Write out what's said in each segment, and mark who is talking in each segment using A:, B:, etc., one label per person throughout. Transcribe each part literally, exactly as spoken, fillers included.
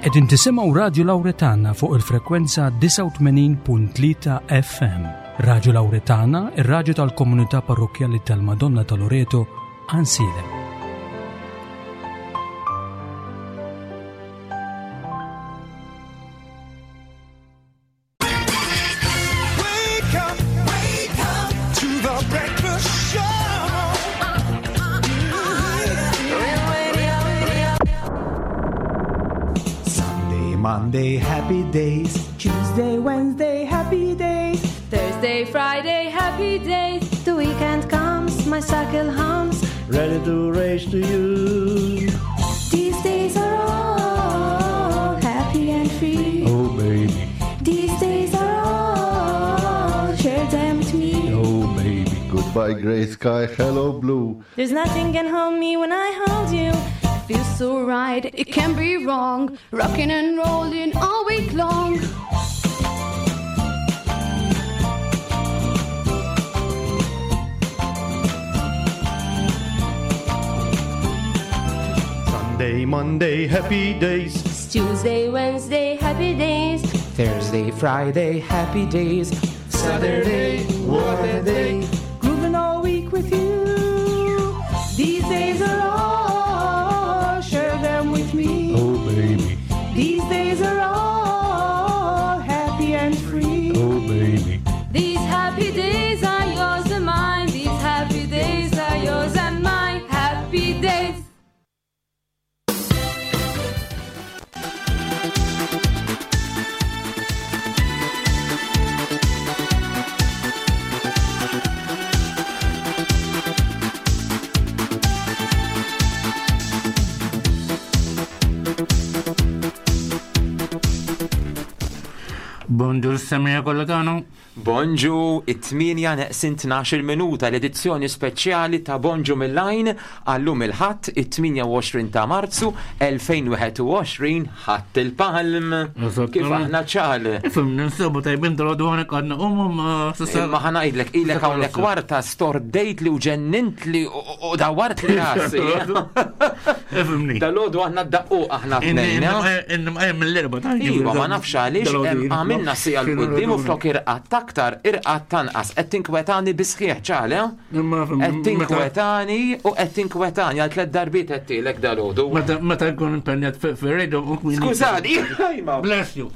A: Qegħdin tisimgħu Radio Lauretana fuq il-frekwenza disgħa u tmenin punt tlieta F M. Radio Lauretana, ir-radju tal-Komunità Parrokkjali tal-Madonna ta' Loreto, Għajnsielem.
B: Wake up, wake up to the breakfast show.
C: Sunday, Monday, happy days.
D: Tuesday, Wednesday, happy days.
E: Thursday, Friday, happy days.
F: The weekend comes, my cycle hums.
C: Ready to race to you.
F: These days are all happy and free.
C: Oh, baby.
F: These days are all, share them with me.
C: Oh, baby.
G: Goodbye, gray sky, hello, blue.
F: There's nothing can hold me when I hold you.
E: Feels so right, it can't be wrong. Rocking and rolling all week long.
C: Sunday, Monday, happy days.
F: It's Tuesday, Wednesday, happy days.
H: Thursday, Friday, happy days.
C: Saturday, what a day.
D: Grooving all week with you. These days are all, share them with me.
C: Oh, baby.
D: These days are all happy and free.
C: Oh, baby.
E: These happy days are yours and mine. These happy days are yours and mine. Happy days.
I: Bonġur semmiegħa kollha tagħna.
H: Bonġu, it-tmienja neqsin tnax-il minuta, l-edizzjoni speċjali ta' Bonġu mill-Għajn għallum il-Ħadd it-tmienja u għoxrin ta' Marzu elfejn u wieħed u għoxrin, Ħadd il-Palm. Kif aħna, ċal?
I: Ifhem, ninsabu tajbin dal-għodu għanek għadna umu ma s'issa.
H: Imma ħa ngħidlek, ilek hawnhekk kwarta stordejt li u ġennint li u dawart li rasi.
I: Ifhimni.
H: Dal-għodu aħna d-daqqu aħna tnejn.
I: Inni mqajjem mill-erba ta'
H: Iva, ma nafx għaliex em, għamilna siegħa 'l quddiem u flok irqadt aktar, irqadt tanqas. Qed tinkwetani bisħieħ, ċale? Qed tinkwetani u qed tinkwetani għal tliet darbiet qed tilek dal-għodu.
I: Meta nkun impenjat fir-radio.
H: Skużani,
I: Bless you.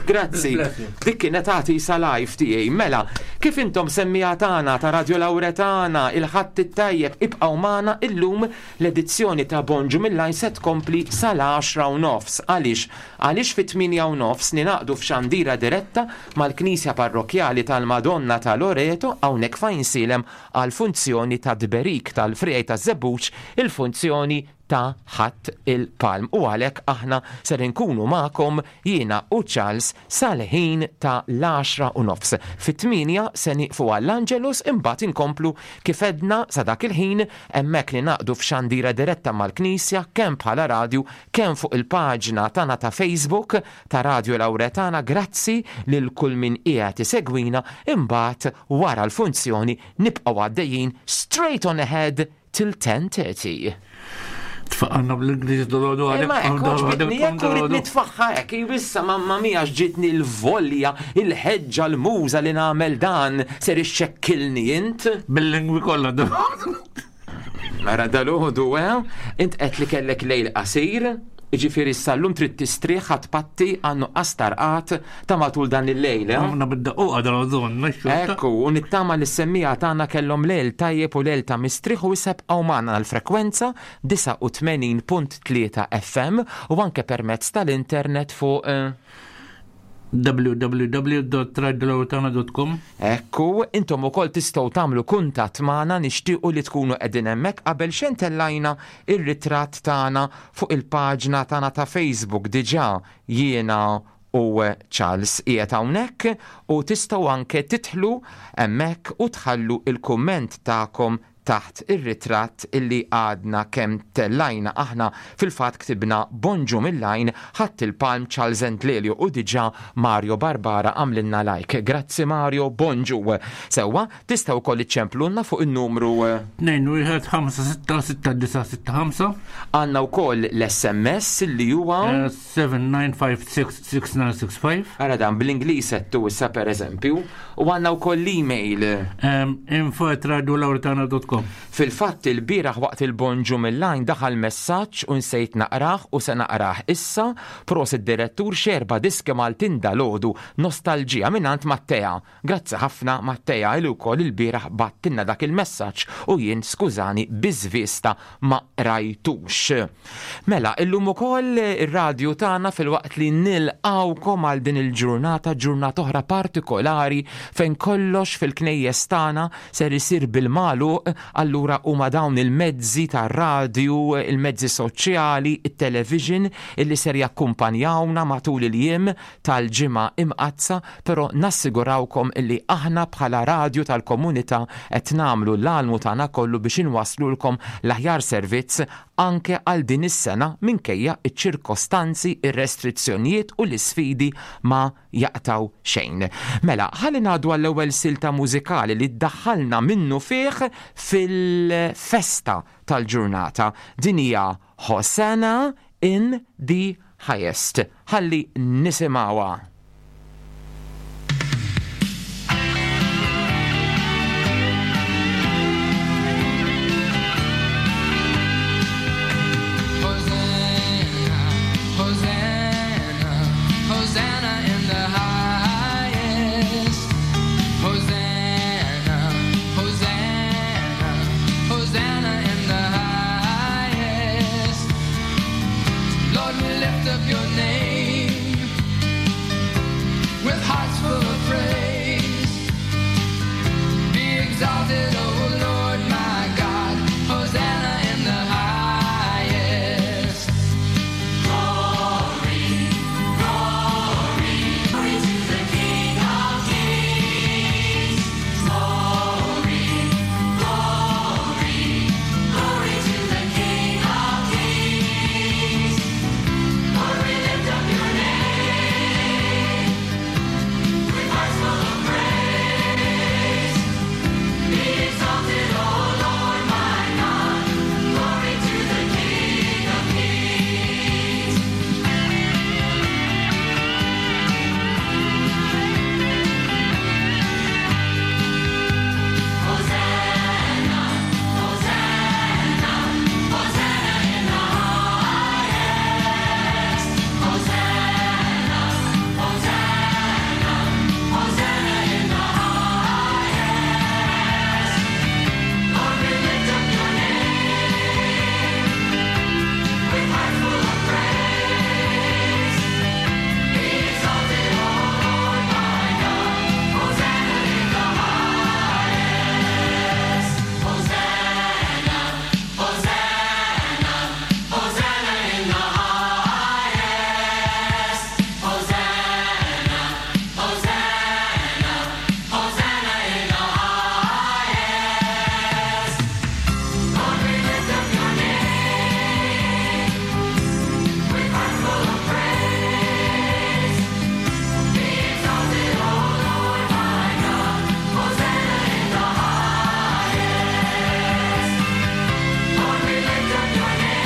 H: Grazzi.
I: Bless you.
H: Dik kienet għati sa live tiegħi. Mela, kif intom semmiegħa tagħna ta' Radio Lauretana, il-Ħadd it-tajjeb, ibqgħu magħna illum, l-edizzjoni ta' Bonġu mill-Għajn se tkompli sal-għaxra u nofs. Għaliex? Għaliex fit-tmienja u nofs ninaqdu f'xandira diretta mal-Knisja Parrokjali tal-Madonna ta' Loreto hawnhekk f'Għajnsielem għal funzjoni ta' tberik tal-friegħi ta' żebbuġ, il-funzjoni ta' Ħadd il-Palm. U għalhekk aħna ser inkunu magħkom, jiena u Charles, sal-ħin ta' l-għaxra u nofs. Fit-tmienja se nieqfu għall-Angelus, imbagħad inkomplu kif edna sa dak il-ħin hemmhekk li naqdu f'xandira diretta mal-Knisja, kemm bħala radju, kemm fuq il-paġna tagħna ta' Facebook ta' Radio Lauretana. Grazzi lil kull min qiegħed isegwina. Imbagħad wara l-funzjoni nibqgħu għaddejjin straight on ahead till ten thirty.
I: Tfaqanna bl-Ingliż dal-għodu għalek.
H: Imma hekk, għoġbitni, jekk urid nitfaħħa hekk, issa mamma mia ġitni l-volja, il-ħeġġa, l-muża li nagħmel dan, ser ixxekkilni int.
I: Bil-lingwi kollha.
H: Mara dal-għodu, eh? Int qed li kellek lejl qasir, ġifieri sal-lum trid tistrieħ patti għannu qastarqat ta' matul dan il-lejl, eh?
I: Għamna bid-daqquqa dal-għodu.
H: Ekku, u nittama li s-semmiegħa tagħna kellhom lejl tajjeb u lejl ta' mistrieħ u jibqgħu magħna l-frekwenza disgħa u tmenin punt tlieta F M u anke permezz tal-internet fuq eh,
I: w w w punt radiolauretana punt com.
H: Ekku, intom ukoll tistgħu tagħmlu kuntatt magħna, nixtiequ li tkunu qegħdin hemmhekk. Qabel xejn tellajna ir-ritratt tagħna fuq il-paġna tagħna ta' Facebook diġà, jiena u Charles qiegħed hawnhekk, u tistgħu anke tidħlu hemmhekk u tħallu il-kumment tagħkom. Taħt ir-ritratt illi għadna kemm tellajna. Aħna fil-fatt ktibna "Bonġu mill-Għajn, Ħadd il-Palm, Charles and Lelio", u diġà Mario Barbara għamlilna like. Grazzi Mario, bonġu. Sewwa, tistgħu wkoll iċċemplunna fuq il-numru
I: tnejn wieħed ħamsa sitta sitta disa' sitta ħamsa.
H: Għandna wkoll l-S M S li huwa
I: seba' tnejn ħamsa sitta sitta tnejn sitta ħamsa.
H: Ara dan bl-Ingliż settu issa, per eżempju, u għandna wkoll l-email.
I: info at radiolauretana dot com.
H: Fil-fatt, il-bieraħ waqt il-Bonġu mill-Għajn daħal messaġġ u nsejt naqrah u se naqrah issa: "Prosit direttur, xerba diski Maltin dalgħodu, nostalġija", mingħand Mattea. Grazzi ħafna Mattea, il wkoll il-bieraħ bagħtilna dak il-messaġġ u jien, skużani, biżvista ma rajtux. Mela, illum ukoll ir-radju tagħna, filwaqt li nilqawkom għal din il-ġurnata, ġurnata oħra partikolari fejn kollox fil-knejjes tagħna ser isir bil-magħluq, allura huma dawn il-mezzi tar-radju, il-mezzi soċjali, it-television illi ser jakkumpanjawna matul il-jiem tal-Ġimgħa Imqazza, però nassigurawkom illi aħna bħala radju tal-komunità qed nagħmlu l-almu tagħna kollu biex inwaslulkom l-aħjar servizz anke għal din is-sena, minkejja iċ-ċirkostanzi, ir-restrizzjonijiet u l-isfidi ma jaqtaw xejn. Mela, ħalli ngħaddu għall-ewwel silta mużikali li ddaħħalna minnu fih fil-festa tal-ġurnata. Din hija "Hosanna in the Highest". Ħalli nisimgħuha.
J: Hosanna, Hosanna, Hosanna in the highest. Hosanna, Hosanna, Hosanna in the highest. Lord, we lift up your name with hearts full of praise. Be exalted, O Lord my God. Hosanna in the highest. Glory, glory, glory to the King of Kings. Glory, glory, glory to the King of Kings. Lord, we lift up your name with hearts full of praise. Be exalted, O Lord my God. Glory to the King of Kings. Hosanna, Hosanna, Hosanna in the highest. Hosanna, Hosanna, Hosanna in the highest. Lord, we lift up your name with hearts full of praise. Be exalted, O Lord my God. Hosanna in the highest. Hosanna, Hosanna, Hosanna in the highest. Hosanna, Hosanna, Hosanna in the highest. Lord, we lift up your name with hearts full of praise. Be exalted, O Lord my God. Hosanna in the highest. Lord, we lift up your name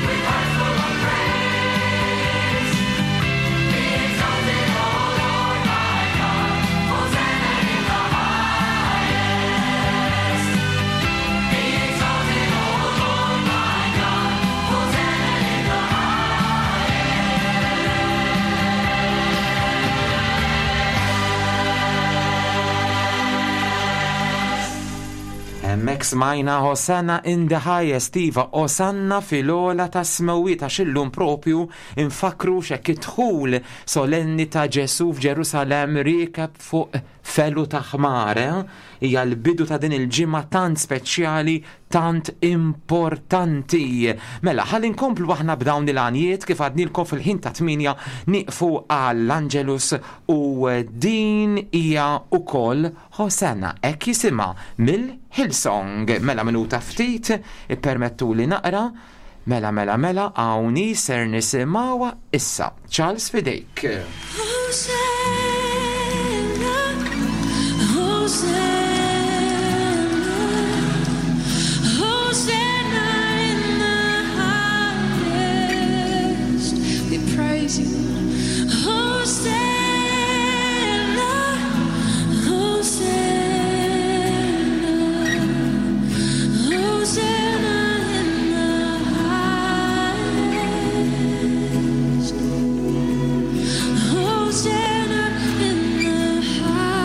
J: with hearts full of praise. Be exalted, O Lord my God. Hosanna in the highest. Be exalted, O Lord my God. Hosanna in the
H: Hemmhekk smajna "Hosanna in the Highest", iva, Osanna fil-ogħla tas-smewwiet, għax illum propju infakru xek id-dħul solenni ta' Ġesu f'Ġerusalem riekeb fuq Felu ta' ħmar, eh? Hija l-bidu ta' din il-ġimgħa tant speċjali, tant importanti. Mela, ħalli nkomplu aħna b'dawn il-għanjiet kif għadnilkom fil-ħin ta' tmienja nieqfu għall-Angelus u din hija ukoll Hosanna, hekk jisimha mill-Hillsong. Mela minuta ftit, ippermettu li naqra. Mela, mela, mela, hawnhi ser nisimgħuha issa. Charles, f'idejk.
J: Hosanna, Hosanna, Hosanna in the highest. We praise you, Hosanna, Hosanna, Hosanna in the highest. Hosanna in the highest.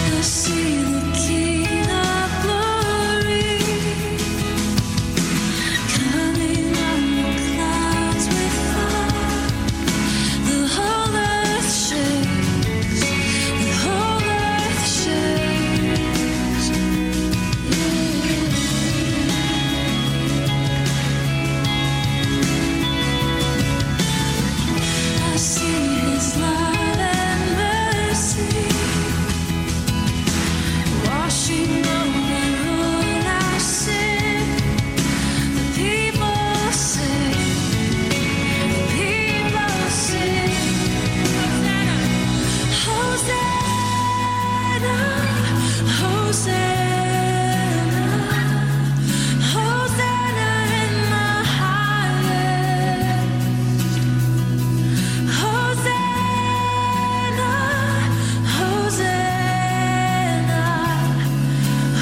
J: I see the King of Glory coming on the clouds with fire. The whole earth shakes, the whole earth shakes. I see His love and mercy washing over all our sin. The people sing, the people sing. Hosanna, Hosanna, Hosanna in the highest. Hosanna, Hosanna,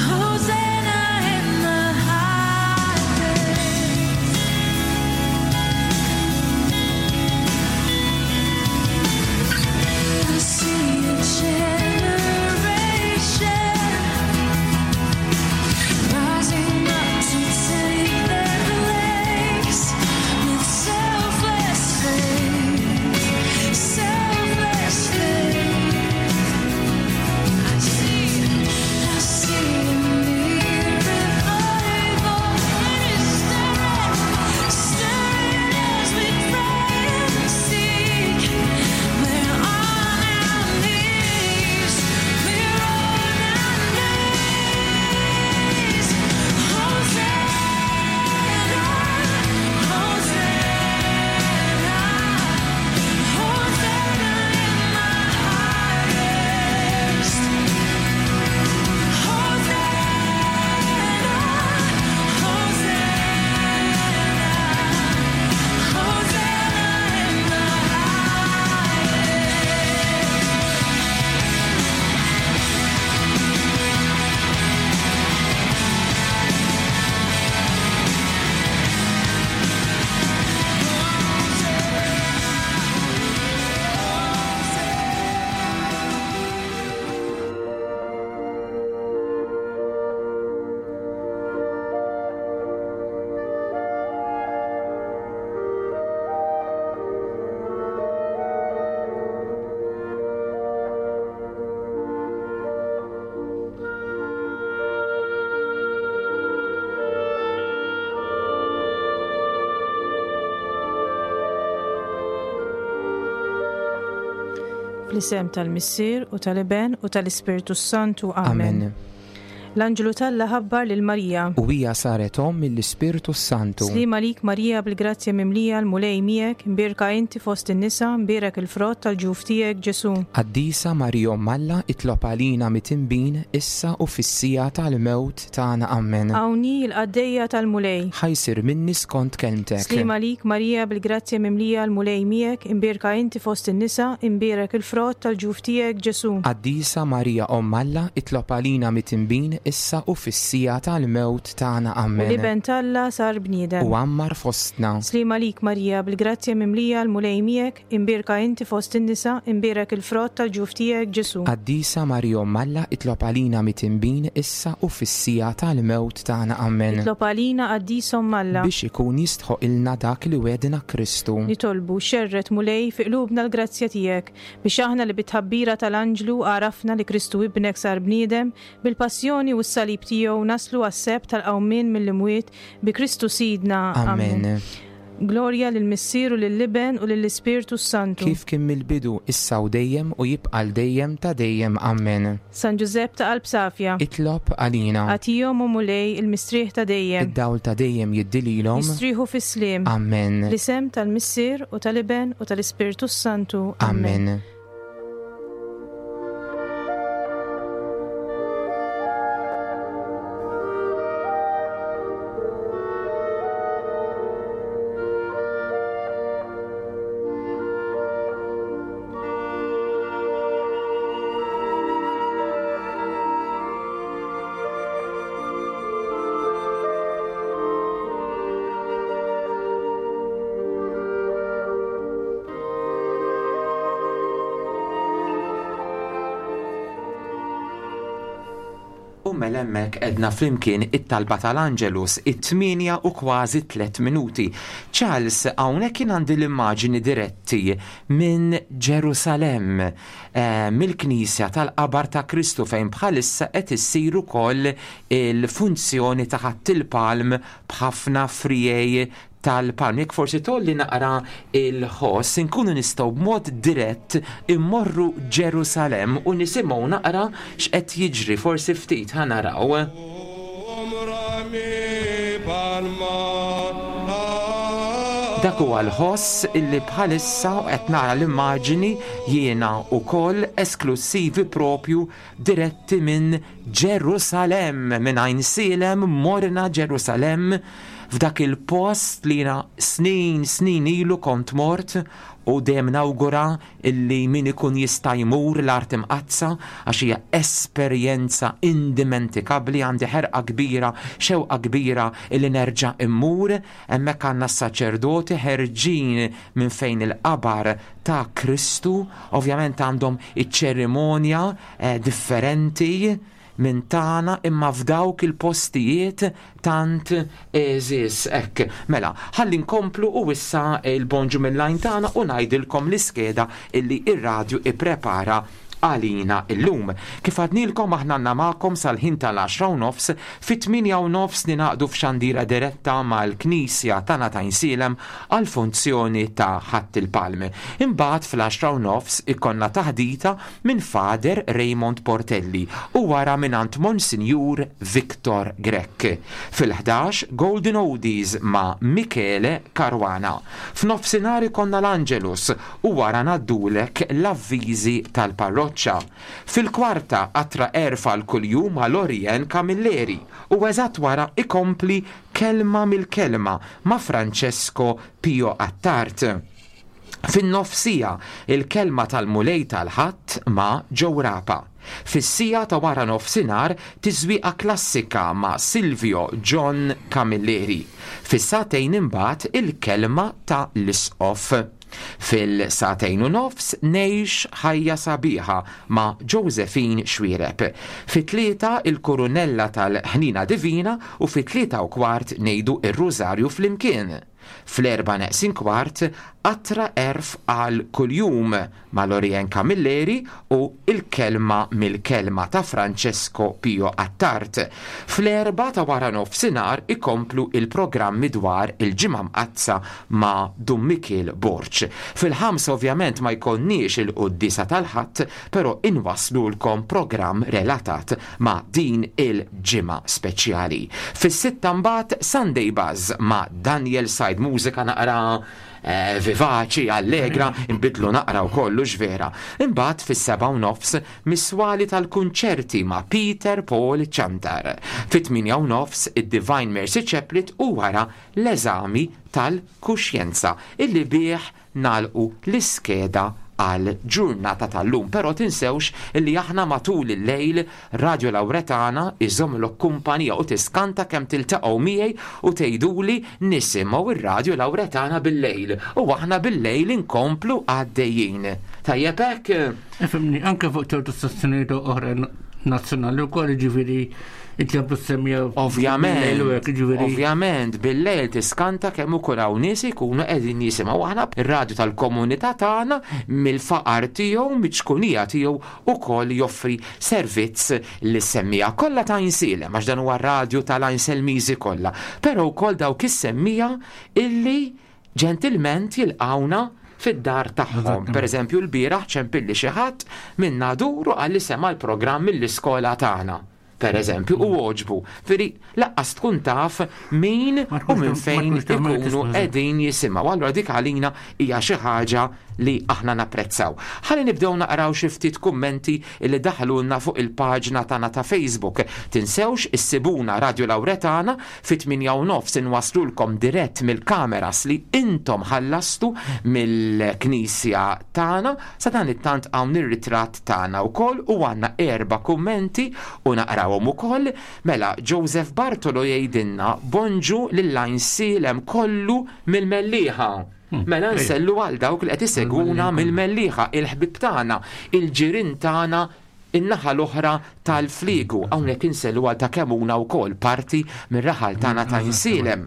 J: Hosanna in the highest. I see a generation rising up to take their place with selfless faith, selfless faith. I see, I see a new revival, and it's stirring, stirring as we pray and seek. We're on our knees, we're on our knees. Hosanna, Hosanna, Hosanna in the highest. Hosanna, Hosanna, Hosanna in the
D: Fl-isem tal-Missier u tal-Iben u tal-Ispirtu Santu. Amen. L-Anġlu t'Alla ħabbar lil Marija.
K: U hija saret omm mill-Ispirtu Santu.
D: Sliem għalik Marija bil-grazzja mimlija l-Mulej miegħek, imbierka inti fost in-nisa, imbierek il-frott tal-ġuf tiegħek Ġesu.
K: Qaddisa Marija Omm Alla, itlob għalina midinbin issa u fis-siegħa tal-mewt tagħna. Amen.
D: Hawn hi l-qaddejja tal-Mulej.
K: Ħa jsir minni skont kelmtek.
D: Sliem għalik Marija bil-grazzja mimlija l-Mulej miegħek, imbierka inti fost in-nisa, imbierek il-frott tal-ġuf tiegħek Ġesu.
K: Qaddisa Marija Omm Alla, itlob għalina midinbin issa u fis-siegħa tal-mewt tagħna.
D: U
K: Amen.
D: l-Iben t'Alla sar bniedem.
K: U għammar fostna.
D: Sliem għalik Marija bil-grazzja mimlija l-Mulej miegħek, imbierka inti fost in-nisa, imbierek il-frott tal-ġuf tiegħek Ġesu.
K: Qaddisa Marija Omm Alla, itlob għalina midinbin issa u fis-siegħa tal-mewt tagħna. Amen.
D: Itlob għalina Qaddisa Omm Alla.
K: Biex ikun jistħoqilna dak li wegħedna Kristu.
D: Nitolbu xerred Mulej fi qlubna l-grazzja tiegħek biex aħna li bit-tħabbira tal-Anġlu għarafna li Kristu ibnek sar bniedem bil-passjoni u s-salib tiegħu naslu għas-sebħ tal-qawmien mill-imwiet bi Kristu Sidna.
K: Amen.
D: Glorja lill-Missier u lill-Iben u lill-Ispirtu Santu.
K: Kif kien mill-bidu issa u dejjem u jibqa' l dejjem ta' dejjem. Amen.
D: San Ġużepp ta' qalb safja.
K: Itlob għalina.
D: Agħtihom o Mulej il-mistrieħ ta' dejjem.
K: Id-dawl ta' dejjem jiddililhom.
D: Jistrieħu fis-sliem.
K: Amen.
D: L-isem tal-Missier u tal-Iben u tal-Ispirtu Santu.
K: Amen.
H: U mela hemmhekk għedna flimkien it-talba tal-Angelus it-tmienja u kważi tliet minuti. Charles, hawnhekk kien għandi l-immaġini diretti minn Ġerusalem, eh, mill-Knisja tal-Qabar ta' Kristu fejn bħalissa qed issir ukoll il-funzjoni ta' Ħadd il-Palm b'ħafna friegħi tal-palm. Jekk forsi tolli naqra il-ħoss, inkunu nistgħu b'mod dirett immorru Ġerusalem u nisimgħu naqra x'qed jiġri, forsi ftit ħa naraw. Dak huwa l-ħoss illi bħalissa qed nara l-immaġini jiena wkoll esklusivi propju diretti minn Ġerusalem, minn Għajnsielem morna Ġerusalem f'dak il-post li jiena snin, snin ilu kont mort u dejjem nawgura illi min ikun jista' jmur l-Art Imqaddsa għax hija esperjenza indimentikabbli, għandi ħerqa kbira, xewqa kbira illi nerġa' immur. Hemmhekk għandna s-saċerdoti ħerġin minn fejn il-qabar ta' Kristu, ovvjament għandhom iċ-ċerimonja, eh, differenti minn tagħna imma f'dawk il-postijiet tant eżis hekk. Mela, ħalli nkomplu u issa il-bonġu mill-lajn tagħna u ngħidilkom l-iskeda illi ir-radju ipprepara għalina illum. Kif għadnilkom aħna għandna magħkom sal-ħin tal-għaxra u nofs, fit-tmienja u nofs ninaqdu f'xandira diretta mal-Knisja tagħna ta' Għajnsielem għal-funzjoni ta' Ħadd il-Palm. Imbagħad fl-għaxra u nofs ikonna taħdita minn Fader Raymond Portelli u wara minn Monsinjur Victor Grech. Fil-ħdax Golden Oldies ma' Michele Caruana. F'nofsinhar ikonna l-Angelus u wara ngħaddulek l-avviżi tal-parroċċa. Fil-kwarta qatra erfa l-kuljum ma' Lorien Camilleri u eżatt wara ikompli Kelma mill-Kelma ma' Francesco Pio Attard. Fin-nofsija il-kelma tal-Mulej tal-Ħadd ma' Joe Rapa. Fis-sija ta' wara nofsinhar tiżwieqa klassika ma' Silvio John Camilleri. Fis-sagħtejn imbagħad il-kelma ta' l-Isqof. Fil-sagħtejn u nofs ngħix ħajja sabiħa ma' Josephine Xuereb. Fit-tlieta il-Kurunella tal-Ħnina Divina u fit-tlieta u kwart ngħidu ir-Rużarju flimkien. Fl-erba neqsin kwart, Qatra Għerf għal kuljum ma' Lorien Camilleri u Il-Kelma mill-Kelma ta' Francesco Pio Attard. Fl-erba ta' wara nofsinhar ikomplu il-programmi dwar il-Ġimgħa Mqaddsa ma' Dun Mikiel Borg. Fil-ħamsa ovvjament ma jkollniex il-quddiesa tal-Ħadd, però inwaslulkom programm relatat ma' din il-ġimgħa speċjali. Fis-sitta mbagħad Sunday Buzz ma' Daniel Said, mużika naqra eh, vivaċi, allegra, imbidlu naqra u kollu vera. Imbagħad fis-seba' u nofs Miswali tal-kunċerti ma' Peter Paul Ciantar. Fit-tmienja u nofs id-Divine Mercy Chaplet u wara l-eżami tal-kuxjenza illi bih nagħlqu l-iskeda għal ġurnata tal-lum. Pero tinsewx illi aħna matul il-lejl Radio Lauretana iżomlok kumpanija u tiskanta kemm tiltaqgħu miegħi u tgħiduli nisimgħu ir-Radio Lauretana bil-lejl u aħna bil-lejl inkomplu għaddejjin. Tajjeb hekk?
I: Ifhimni, anke fuq ċertu stazzjonijiet oħra nazzjonali wkoll, ġifieri inti semmija.
H: Ovvjament, ovvjament, bil-lejl tiskanta kemm ukoll hawn nies ikunu qegħdin jisimgħu. Aħna ir-radju tal-komunità tagħna mill-faqar tiegħu, miċ-ċkunija tiegħu ukoll joffri servizz lis-semmiegħa kollha ta' Għajnsielem, għax dan huwa r-radju tal-Għajnselmiżi kollha. Però wkoll dawk is-semmiegħa illi ġentilment jilqawna fid-dar tagħhom. Per eżempju, l-bieraħ ċempilli xi ħadd minn Nadur u qalli sema l-programm mill-iskola tagħna. Per eżempju, u għoġbu. Firi, lanqas tkun taf min u minn fejn ikunu qegħdin jisimgħu. Allura dik għalina hija xi ħaġa li aħna napprezzaw. Ħalli nibdew naqraw xi ftit kummenti li daħlulna fuq il-paġna tagħna ta' Facebook. Tinsewx issibuna Radio Lauretana fit-tmienja u nofs inwaslulkom dirett mill-kameras li intom ħallastu mill-knisja tagħna. Sa dan it-tant hawn ir-ritratt tagħna wkoll u għandna erba' kummenti u naqrawhom ukoll. Mela Joseph Bartolo jgħidilna bonġu lil kollu mill-Mellieħa. Mela nsellu għal dawk li qed isegwuna mill-Mellieħa, il-ħbib tagħna, il-ġirien tagħna, in-naħa l-oħra tal-Fliegu. Hawnhekk insellu għal ta' Kemmuna wkoll, parti mir-raħal tagħna ta' Għajnsielem.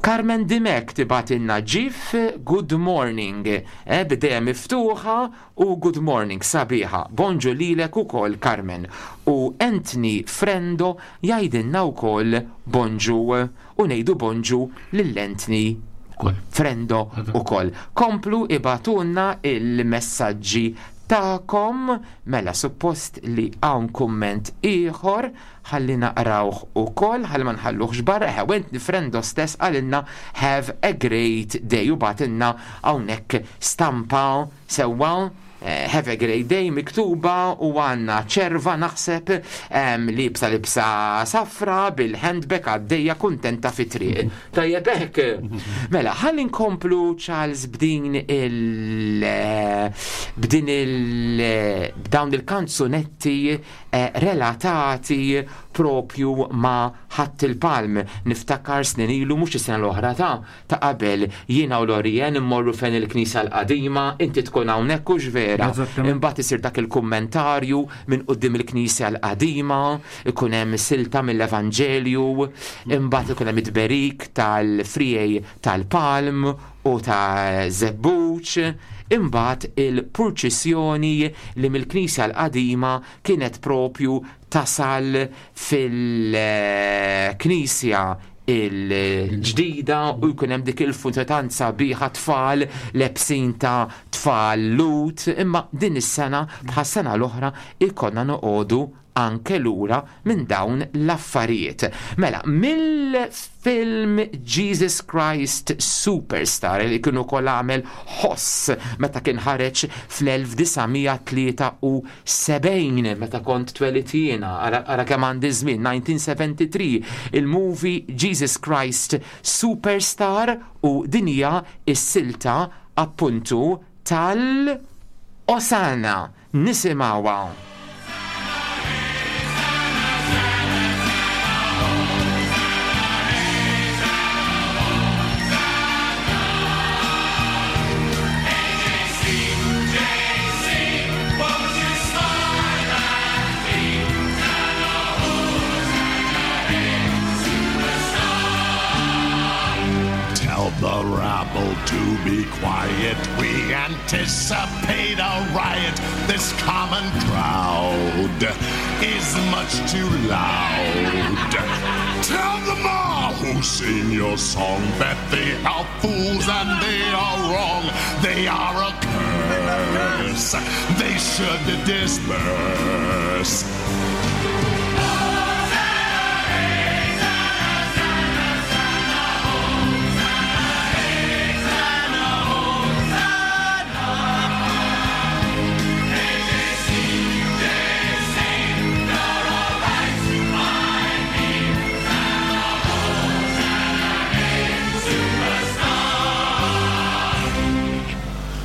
H: Carmen Dimek tibgħatilna ġif good morning, e, b'idejha miftuħa u good morning sabiħa. Bonġu lilek ukoll, Carmen. U Anthony Frendo jgħidilna wkoll bonġu u ngħidu bonġu lil Anthony Frendo ukoll. Komplu ibgħatulna il-messaġġi tagħkom. Mela suppost li hawn kumment ieħor, ħalli naqrawh ukoll, ħalli ma nħalluhx barra. Anthony Frendo stess qalilna "Have a great day" u bagħtilna hawnhekk stampa sewwa eh, "Have a great day" miktuba u għandna ċerva naħseb libsa libsa safra bil-handbag għaddejja kuntenta fi triq. Tajjeb hekk. Mela, ħalli nkomplu, Charles, b'din il b'din il b'dawn il-kanzunetti eh, relatati propju ma' Ħadd il-Palm. Niftakar snin ilu, mhux is-sena l-oħra, ta' ta' qabel, jiena u Lorien immorru fejn il-knisja l-qadima, inti tkun hawnhekk, hux vera? Imbagħad isir dak il-kummentarju minn quddiem il-knisja l-qadima, ikun hemm silta mill-Evanġelju, imbagħad ikun hemm it-tberik tal-friegħi tal-palm u ta' żebbuġ, imbagħad il-purċissjoni li mill-knisja l-qadima kienet propju tasal fil-knisja il-ġdida u jkun hemm dik il-funtanza biħa tfal lebsin ta' tfal Lhud, imma din is-sena bħas-sena l-oħra ikollna noqogħdu anke lura minn dawn l-affarijiet. Mela, mill-film Jesus Christ Superstar li kienu kol għamel ħoss meta kien ħareġ fl-elf disa' mija tlieta u sebgħin, meta kont twelidt jiena, ara kemm għandi żmien, elf disa' mija tlieta u sebgħin, il-movie Jesus Christ Superstar u din hija is-silta appuntu tal-Osanna. Nisimgħuha.
J: Won't you smile at me? Hosanna, Hosanna, superstar.
L: Tell the rabble to be quiet. We anticipate a riot. This common crowd is much too loud. Tell them all who sing your song that they are fools and they are wrong. They are a curse. They should disperse.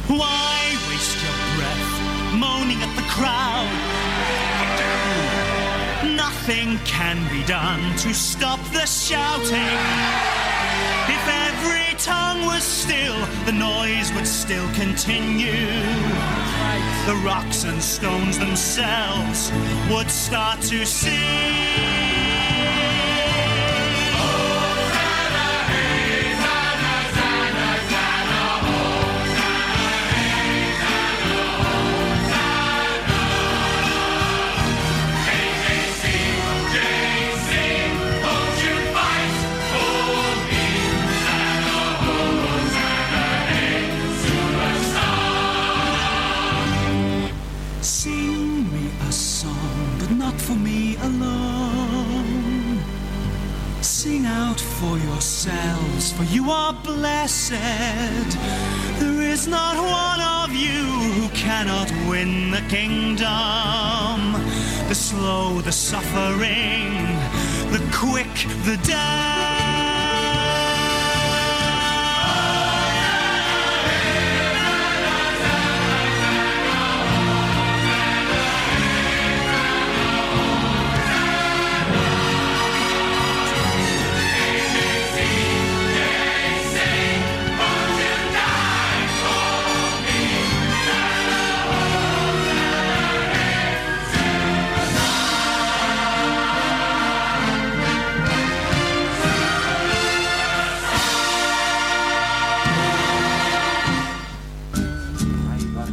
M: Why waste your breath moaning at the crowd? Nothing can be done to stop the shouting. If every tongue was still, the noise would still continue. The rocks and stones themselves would start to sing. Sing me a song, but not for me alone. Sing out for yourselves, for you are blessed. There is not one of you who cannot win the kingdom. The slow, the suffering, the quick, the dead.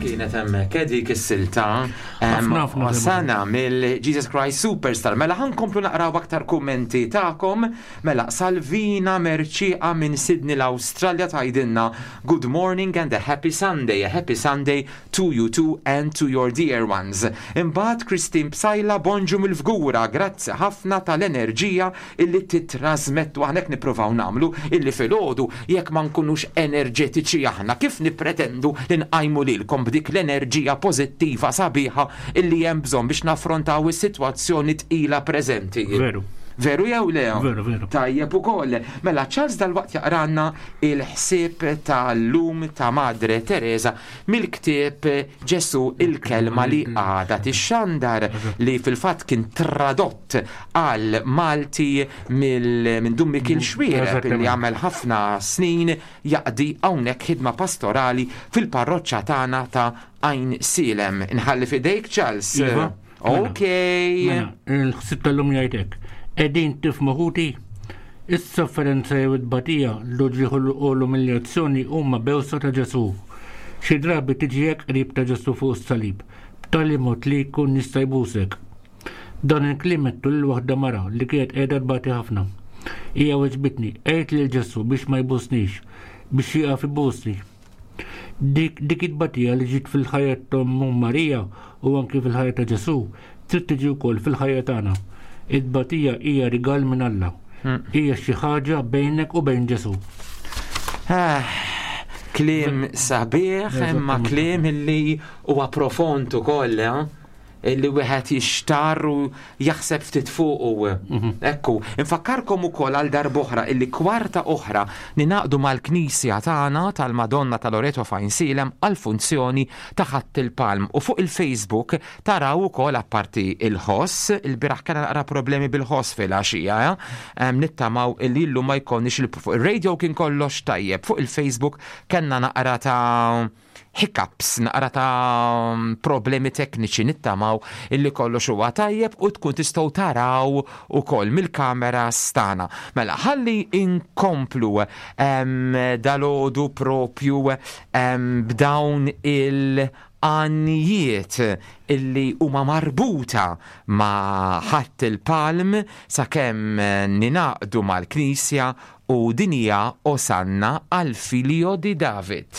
H: Kienet hemmhekk dik is-silta
I: Ħafna, ħafna
H: Sana mill-Jesus Christ Superstar. Mela ħa nkomplu naqraw aktar kummenti tagħkom. Mela Salvina Merċieqa minn Sydney l-Awstralja tgħidilna Good morning and a happy Sunday. A happy Sunday to you too and to your dear ones. Imbagħad Christine Psaila bonġu mill-Fgura, grazzi ħafna tal-enerġija illi titrasmettu aħna nippruvaw nagħmlu illi filgħodu jekk ma nkunux enerġetiċi aħna kif nippretendu li nqajmu lilkom b'dik l-enerġija pożittiva sabiħa illi hemm bżonn biex naffrontaw is-sitwazzjoni tqila preżenti.
I: Veru.
H: Veru jew le?
I: Veru, veru.
H: Tajjeb ukoll. Mela Charles dalwaqt jaqranna il-ħsieb tal-lum ta' Madre Teresa mill-ktieb Ġesu il-kelma li għada tixxandar li fil-fatt kien tradott għal Malti mill minn Dun Mikiel Xuereb li għamel ħafna snin jaqdi hawnhekk ħidma pastorali fil-parroċċa tagħna ta' Għajnsielem. Inħalli f'idejk Charles.
I: Iva.
H: Ok.
I: Mela, il-ħsieb tal-lum jgħidlek. Qegħdin tifhmu ħuti, is-sofferenza jew it-tbatija, l-uġigħ u l-umiljazzjoni huma bewsa ta' Ġesu. Xi drabi tiġi hekk qrib ta' Ġesu fuq is-salib, b'tali mod li jkun jista' jbusek. Dan il-kliem għedtu lil waħda mara li kienet qiegħda tbati ħafna. Hija weġbitni, għid lil Ġesu biex ma jbusnix, biex jieqaf ibusni. Dik dik it-tbatija li ġiet fil-ħajja ta' Marija u anki fil-ħajja ta' Ġesu, trid tiġi wkoll fil-ħajja tagħna. It-tbatija hija rigal minn Alla. Hija xi ħaġa bejnek u bejn Ġesu.
H: Ah, Kliem sabiħ, imma kliem illi huwa profond ukoll, eh? illi wieħed jixtar u jaħseb ftit fuqu. Ekku, infakkarkom ukoll għal darb'oħra illi kwarta oħra ningħaqdu mal-Knisja tagħna tal-Madonna ta' Loreto f'Għajnsielem għal funzjoni ta' Ħadd il-Palm u fuq il-Facebook taraw ukoll apparti il-ħoss, il-bieraħ kellna naqra problemi bil-ħoss fil-għaxija, eh? Em, nittamaw illi llum ma jkollniex il- fuq il-radio kien kollox tajjeb, fuq il-Facebook kellna naqra ta' hiccups, naqra ta' problemi tekniċi, nittamaw illi kollox huwa tajjeb u tkun tistgħu taraw ukoll mill-kamera stana. Mela, ħalli inkomplu em, dalgħodu propju em, b'dawn il- għannijiet illi huma marbuta ma' Ħadd il-Palm sakemm ninaqdu mal-Knisja u din hija Osanna al Figlio di David.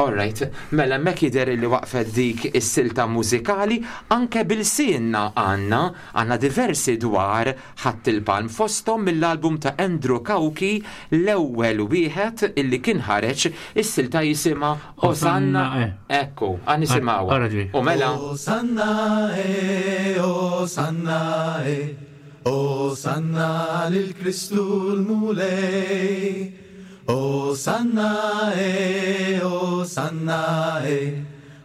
H: Alright, mela mek jidher li waqfet dik is-silta mużikali, anke bil-sinna għandna għandna diversi dwar Ħadd il-Palm fosthom mill-album ta' Andrew Cauchi, l-ewwel wieħed illi kien ħareġ, is-silta jisimha Osanna. Ekku, għan nisimgħuha. U mela
N: Osanna, eh, Osanna, eh, Osanna lil Kristu l-Mulej. Osanna, eh, Osanna, eh,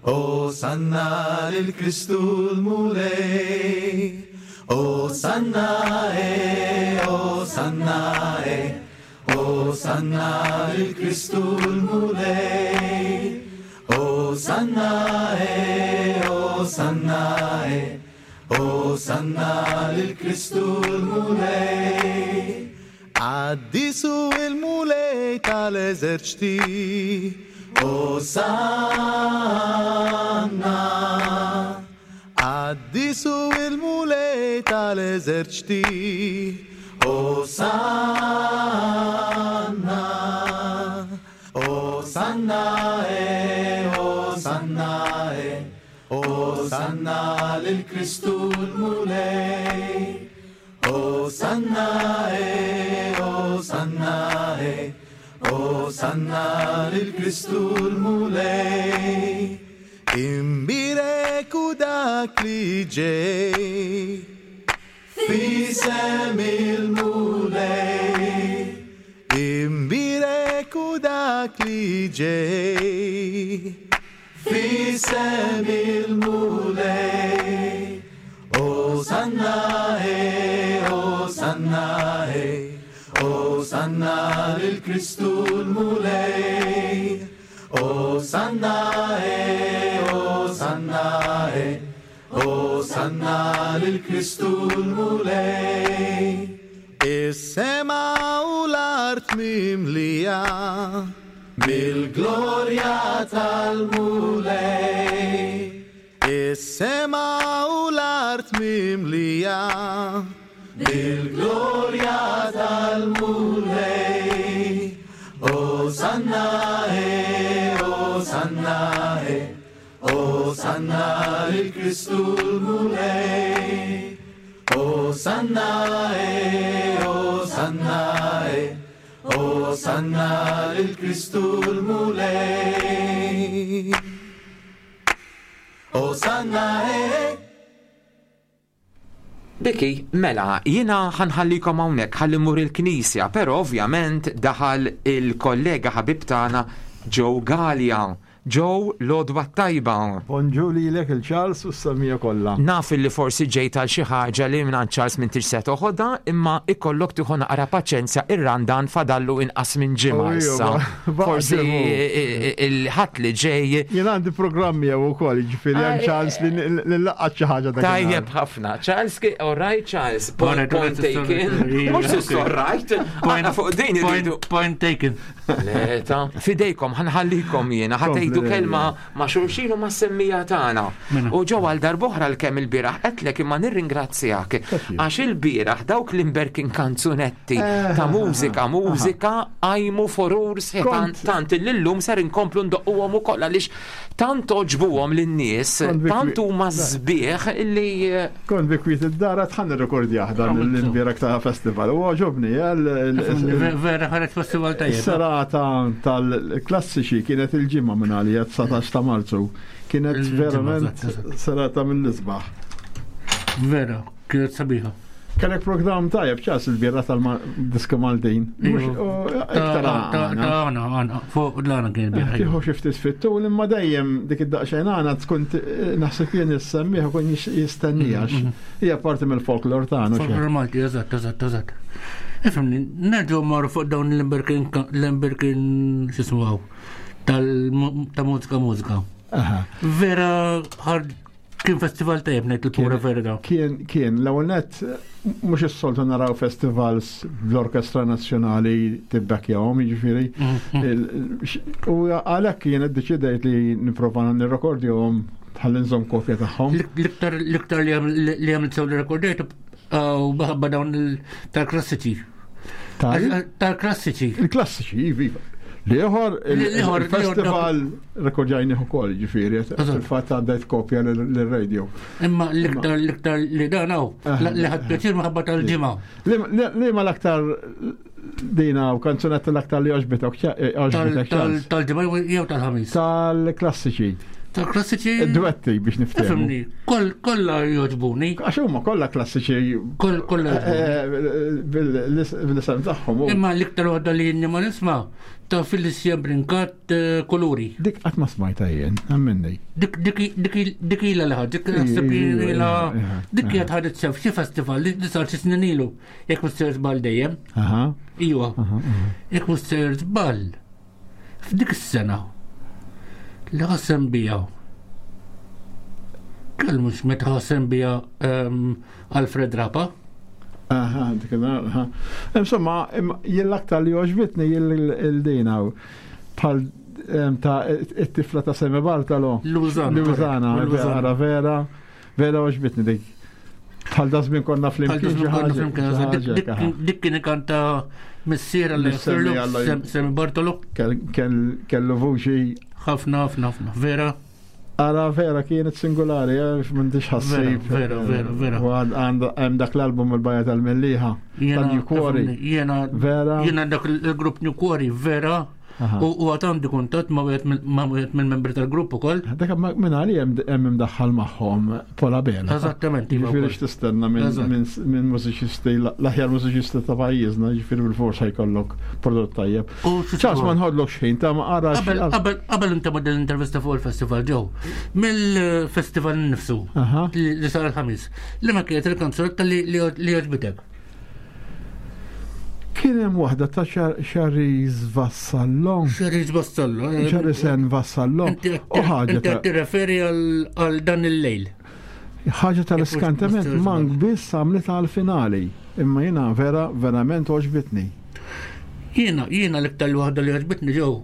N: Osanna lil Kristu l-Mulej. Osanna, eh, Osanna, eh, Osanna lil Kristu l-Mulej. Osanna, eh, Osanna, eh, Osanna lil Kristu l-Mulej. Għaddisu il-Mulej tal-eżerċti, Osanna. Għaddisu il-Mulej tal-eżerċti, Osanna. Osanna, eh, Osanna, eh, Osanna lil Kristu l-Mulej. Osanna, eh, Osanna, eh, Osanna lil Kristu l-Mulej. Imbirek u dak li ġej f'isem il-Mulej. Imbirek u dak li ġej f'isem il-Mulej. Osanna, eh, Osanna, eh, Osanna lil Kristu l-Mulej. Osanna, eh, Osanna, eh, Osanna lil Kristu l-Mulej. Is-sema u l-art mimlija mill-glorja tal-Mulej. Is-sema u l-art mimlija bil-glorja tal-Mulej. Osanna, eh, Osanna, eh, Osanna lil Kristu l-Mulej. Osanna, eh, Osanna, eh, Osanna lil Kristu l-Mulej. Osanna, eh.
H: Diki, mela, jiena ħa nħallikom hawnhekk ħalli mmur il-knisja, però ovvjament daħal il-kollega ħabib tagħna Joe Galea. Joe, l-għodwa t-tajba.
G: Bonġu lilek il-Charles u s-semmiegħa kollha.
H: Naf li forsi ġejt għal xi ħaġa li minn Charles m'intix se toħodha, imma ikollok tieħu naqra paċenzja ir-Randan fadallu inqas minn ġimgħa
G: Oh,
H: issa.
G: iva,
H: Forsi il-Ħadd li ġej.
G: Jien għandi programmi jew ukoll, jiġifieri hemm ċans li nlaqqat xi ħaġa dak.
H: Tajjeb ħafna. Charles, all right, Charles. Point, point taken. Mhux all right. Aħna fuq din irridu.
I: Point taken.
H: Leta. Fidejkom, ħa nħallikom jiena, ħa tgħidu kelma ma' xulxin u ma' semmiegħa tagħna. U ġew għal darb'oħra l-kemm il-bieraħ qedlek imma nirringrazzjak għax il-bieraħ dawk l-imberkin kanzunetti ta' mużika, mużika għajmu furur sħiħ tant illum ser inkomplu ndoqquhom ukoll għaliex tant għoġbuhom lin-nies, tant huma sbieħ illi
G: Kont bi kwiet id-dar ħa nirrekordjah dan l-imbieraħ ta' festival. U għoġobni,
I: Vera ħareġ festival tajjeb.
G: Serata tal-klassiċi kienet il-ġimgħa minn għalija dsatax ta' Marzu. Kienet verament serata mill-isbaħ.
I: Vera, kienet sabiħa.
G: Kellek program tajjeb ċas il-bieraħ tal-diska Maltin.
I: Iktar għana, għana, fuq l-għana kien il-bieraħ.
G: Tieħu xi ftit fit-tul imma dejjem dik id-daqsxejn għana tkun naħseb jien is-semmiegħ ikun jistennija hija parti mill-folklor tagħna.
I: Folklor Malti, eżatt, eżatt, eżatt. Ifhimni, nerġgħu marru fuq dawn l-imberkin, l-imberkin x'ismu ta' mużika mużika. Vera ħard kien festival tajjeb ngħid il-pura vera.
G: Kien, kien, l-ewwel nett mhux is-soltu naraw festivals bl-Orkestra Nazzjonali tibbekkjahom, jiġifieri. U għalhekk jien iddeċidejt li nipprova nirrekordjahom ħalli nżomm kopja tagħhom.
I: L-iktar l-iktar li għamilt sew li rekordejt u minħabba dawn tal-klassiċi. Tal-klassiċi.
G: Il-klassiċi, iva. L-ieħor, il-festival rekordjajni ukoll, ġifieri, fil-fatt għaddejt kopja l-radio.
I: Imma l-iktar l-iktar li dan hawn, li ħadt pjaċir minħabba tal-Ġimgħa.
G: Li ma l-aktar dina u kanzunetta l-aktar li għoġbitek, għoġbitek
I: Tal-Ġimgħa jew tal-Ħamis?
G: Tal-klassiċi.
I: Tal-klassiċi.
G: Duetti biex niftehmu.
I: Ifhimni, kollha jogħġbuni.
G: Għax huma kollha klassiċi.
I: Kollha
G: bil-isem tagħhom.
I: Imma l-iktar waħda li jinni ma nisma' ta' Felicia Brincat Kuluri.
G: Dik qatt ma smajta jien, amminni.
I: Dik dik ilha li ħadd, dik naħseb ilha dik kienet ħadet sew f'xi festival li sar xi snin ilu, jekk mhux sejjer żball dejjem. Iwa. Jekk mhux sejjer żball. F'dik is-sena li ħassem bija. Kell mhux meta ħassem bija Alfred Rapa.
G: Aha, dik aha. Insomma, jien l-aktar li għoġbitni il-dina bħal ta' it-tifla ta' Seme Bartolo.
I: Lużana.
G: Lużana, vera, vera, vera għoġbitni dik. Bħal da żmien konna flimkien.
I: Dik kien ikanta missier għal Semi Bartolo.
G: Kellu vuċi.
I: Ħafna, ħafna, ħafna, vera.
G: Ara vera kienet singolari, eh, m'intix ħassib.
I: Vera, vera, vera.
G: U hemm dak l-album il-Bajja tal-Mellieħa. Tal-New Quarry.
I: Jena,
G: vera.
I: Jena dak il-grupp New Quarry, vera. U għad għandi kuntatt ma' wieħed mill-membri tal-grupp ukoll.
G: Dak minn għali hemm imdaħħal magħhom Pola Bela.
I: Eżattament.
G: Jiġifieri x'tistenna minn mużiċisti, l-aħjar mużiċisti ta' pajjiżna, jiġifieri bil-forsa jkollok prodott tajjeb. Ċas ma nħodlok xejn ta' ma ara.
I: Qabel inta ma l-intervista fuq il-festival ġew, mill-festival nnifsu li sar il-Ħamis, li ma kienet il-kanzunetta li għoġbitek?
G: Kien hemm waħda ta' Chariz Vassallo.
I: Chariz Vassallo.
G: Charisen Vassallo.
I: U ħaġa. Inti tirreferi għal dan il-lejl.
G: Ħaġa tal-iskantament mank biss għamlet għal-finali. Imma jiena vera verament għoġbitni.
I: Jiena jiena l-iktar waħda li għoġbitni ġew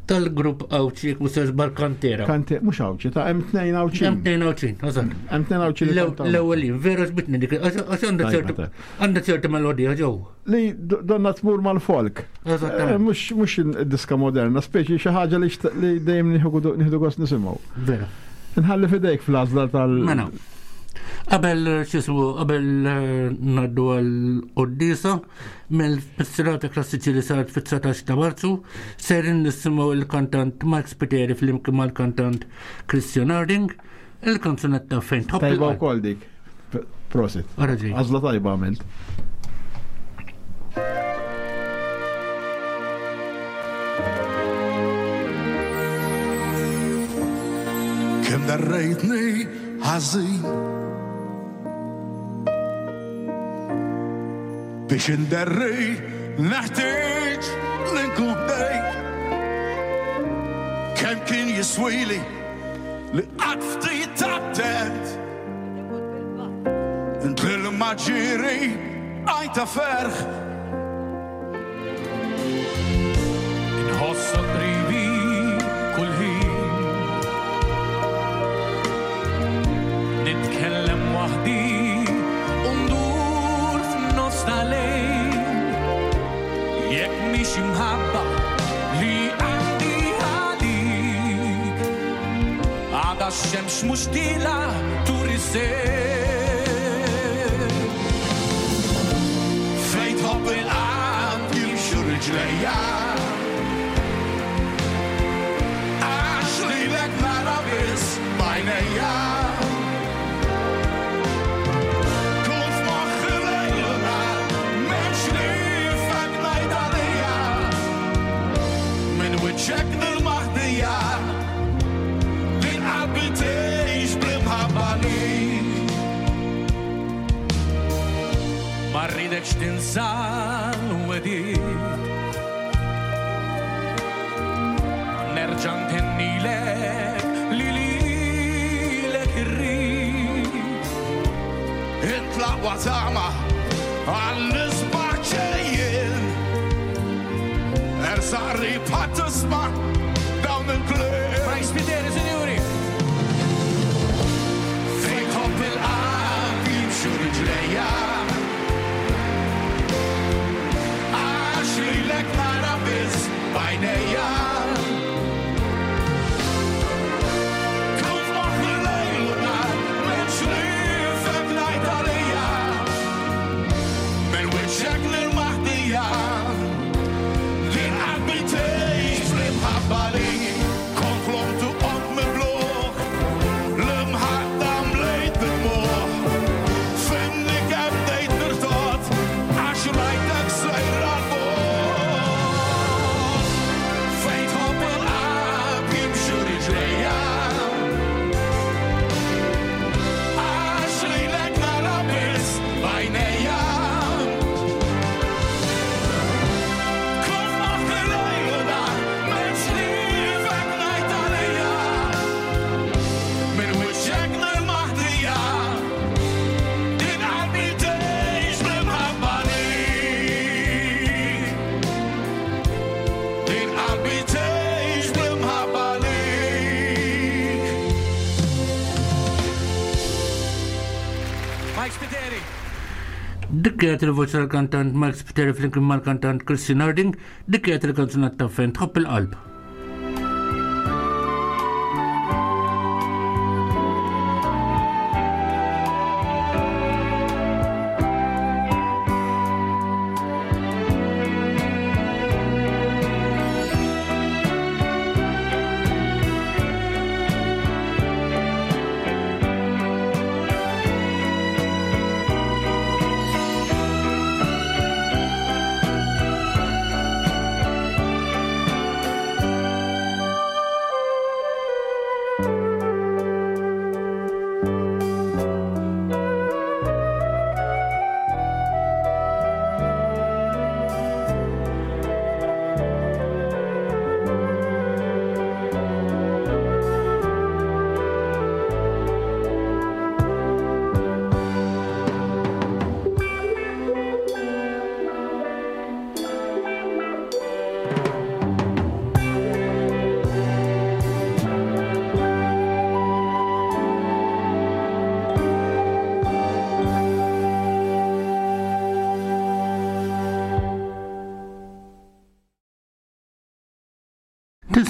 I: tal-grupp Għawdxi jekk mhux żball Kantera.
G: Kante, mhux Għawdxi, ta' hemm tnejn Għawdxin.
I: Hemm tnejn Għawdxin, eżatt.
G: Hemm tnejn Għawdxin.
I: L-ewwel vera għoġbitni dik, għax għandha ċertu għandha ċertu melodija ġew.
G: Li donna tmur mal-folk.
I: Eżattament.
G: Mhux mhux diska moderna, speċi xi ħaġa li dejjem nieħdu gost nisimgħu.
I: Vera.
G: Nħalli fidejk fl-għażla tal-
I: Mela. Qabel xismu, qabel eh, ngħaddu għall-qoddisa, mill-serata klassiċi li saret fit-dsatax ta' Marzu, serin nisimgħu il-kantant Mike Spiteri flimkien mal-kantant Christian Harding, il-kanzunetta Fejn Tħobb
G: Tajba
I: il-Qalb.
G: wkoll dik. P- Prosit.
I: Ara ġej.
G: Għażla tajba għamilt.
L: Kemm darrejtni ħażin biex inderri neħtieġ li nkun ħdejk. Kemm kien jiswili li qatt ftit attent Int lil ma ġiri għajta ferħ.
O: Inħossok qribi kull ħin. Nitkellem waħdi u ndur f'nofs tal-lejl. Jekk mhix imħabba li għandi għalik, għada x-xemx mhux tila turi sejl.
L: Fejn tħobb il-qalb jimxu riġlejja. Għax lilek nara biss b'għajnejja. Kun f'moħħi lejl u nhar, m'hemmx ħliefek ngħid għalija. Minn wiċċek nil-maħdija, din qalbi tgħix bl-imħabba li.
O: Ma rridekx tinsa l-wedid. Nerġa' ntennilek li lilek irrid.
L: Int l-aqwa tama għall-isbaħ ġejjin. Ersaq qrib ħadd tisma' dawn il-kliem.
O: Mike Spiteri, sinjuri.
L: Fejn tħobb il-qalb jimxu riġlejja. Għax lilek nara biss b'għajnejja. Kun f'moħħi lejl u nhar, m'hemmx ħliefek ngħid għalija. Minn wiċċek lill-maħdija, din qalbi tgħix bl-imħabba li. Kont ħlomt u qomt mibluħ, l-imħadda mlejt bid-dmugħ. Fimni kemm bdejt nirtod, għax rajtek sejra l-bogħod. Fejn tħobb il-qalb jimxu riġlejja. Għax lilek nara biss b'għajnejja. Kun f'moħħi lejl u nhar, m'hemmx ħliefek ngħid għalija. Minn wiċċek lill-maħdija, din qalbi tgħix bl-imħabba lik. Din qalbi tgħix bl-imħabba lik.
O: Mike Spiteri.
I: Dik kienet il-voċi tal-kantant Mike Spiteri flimkien mal-kantant Christian Harding, dik kienet il-kanzunetta Fejn Tħobb il-Qalb.
L: Thank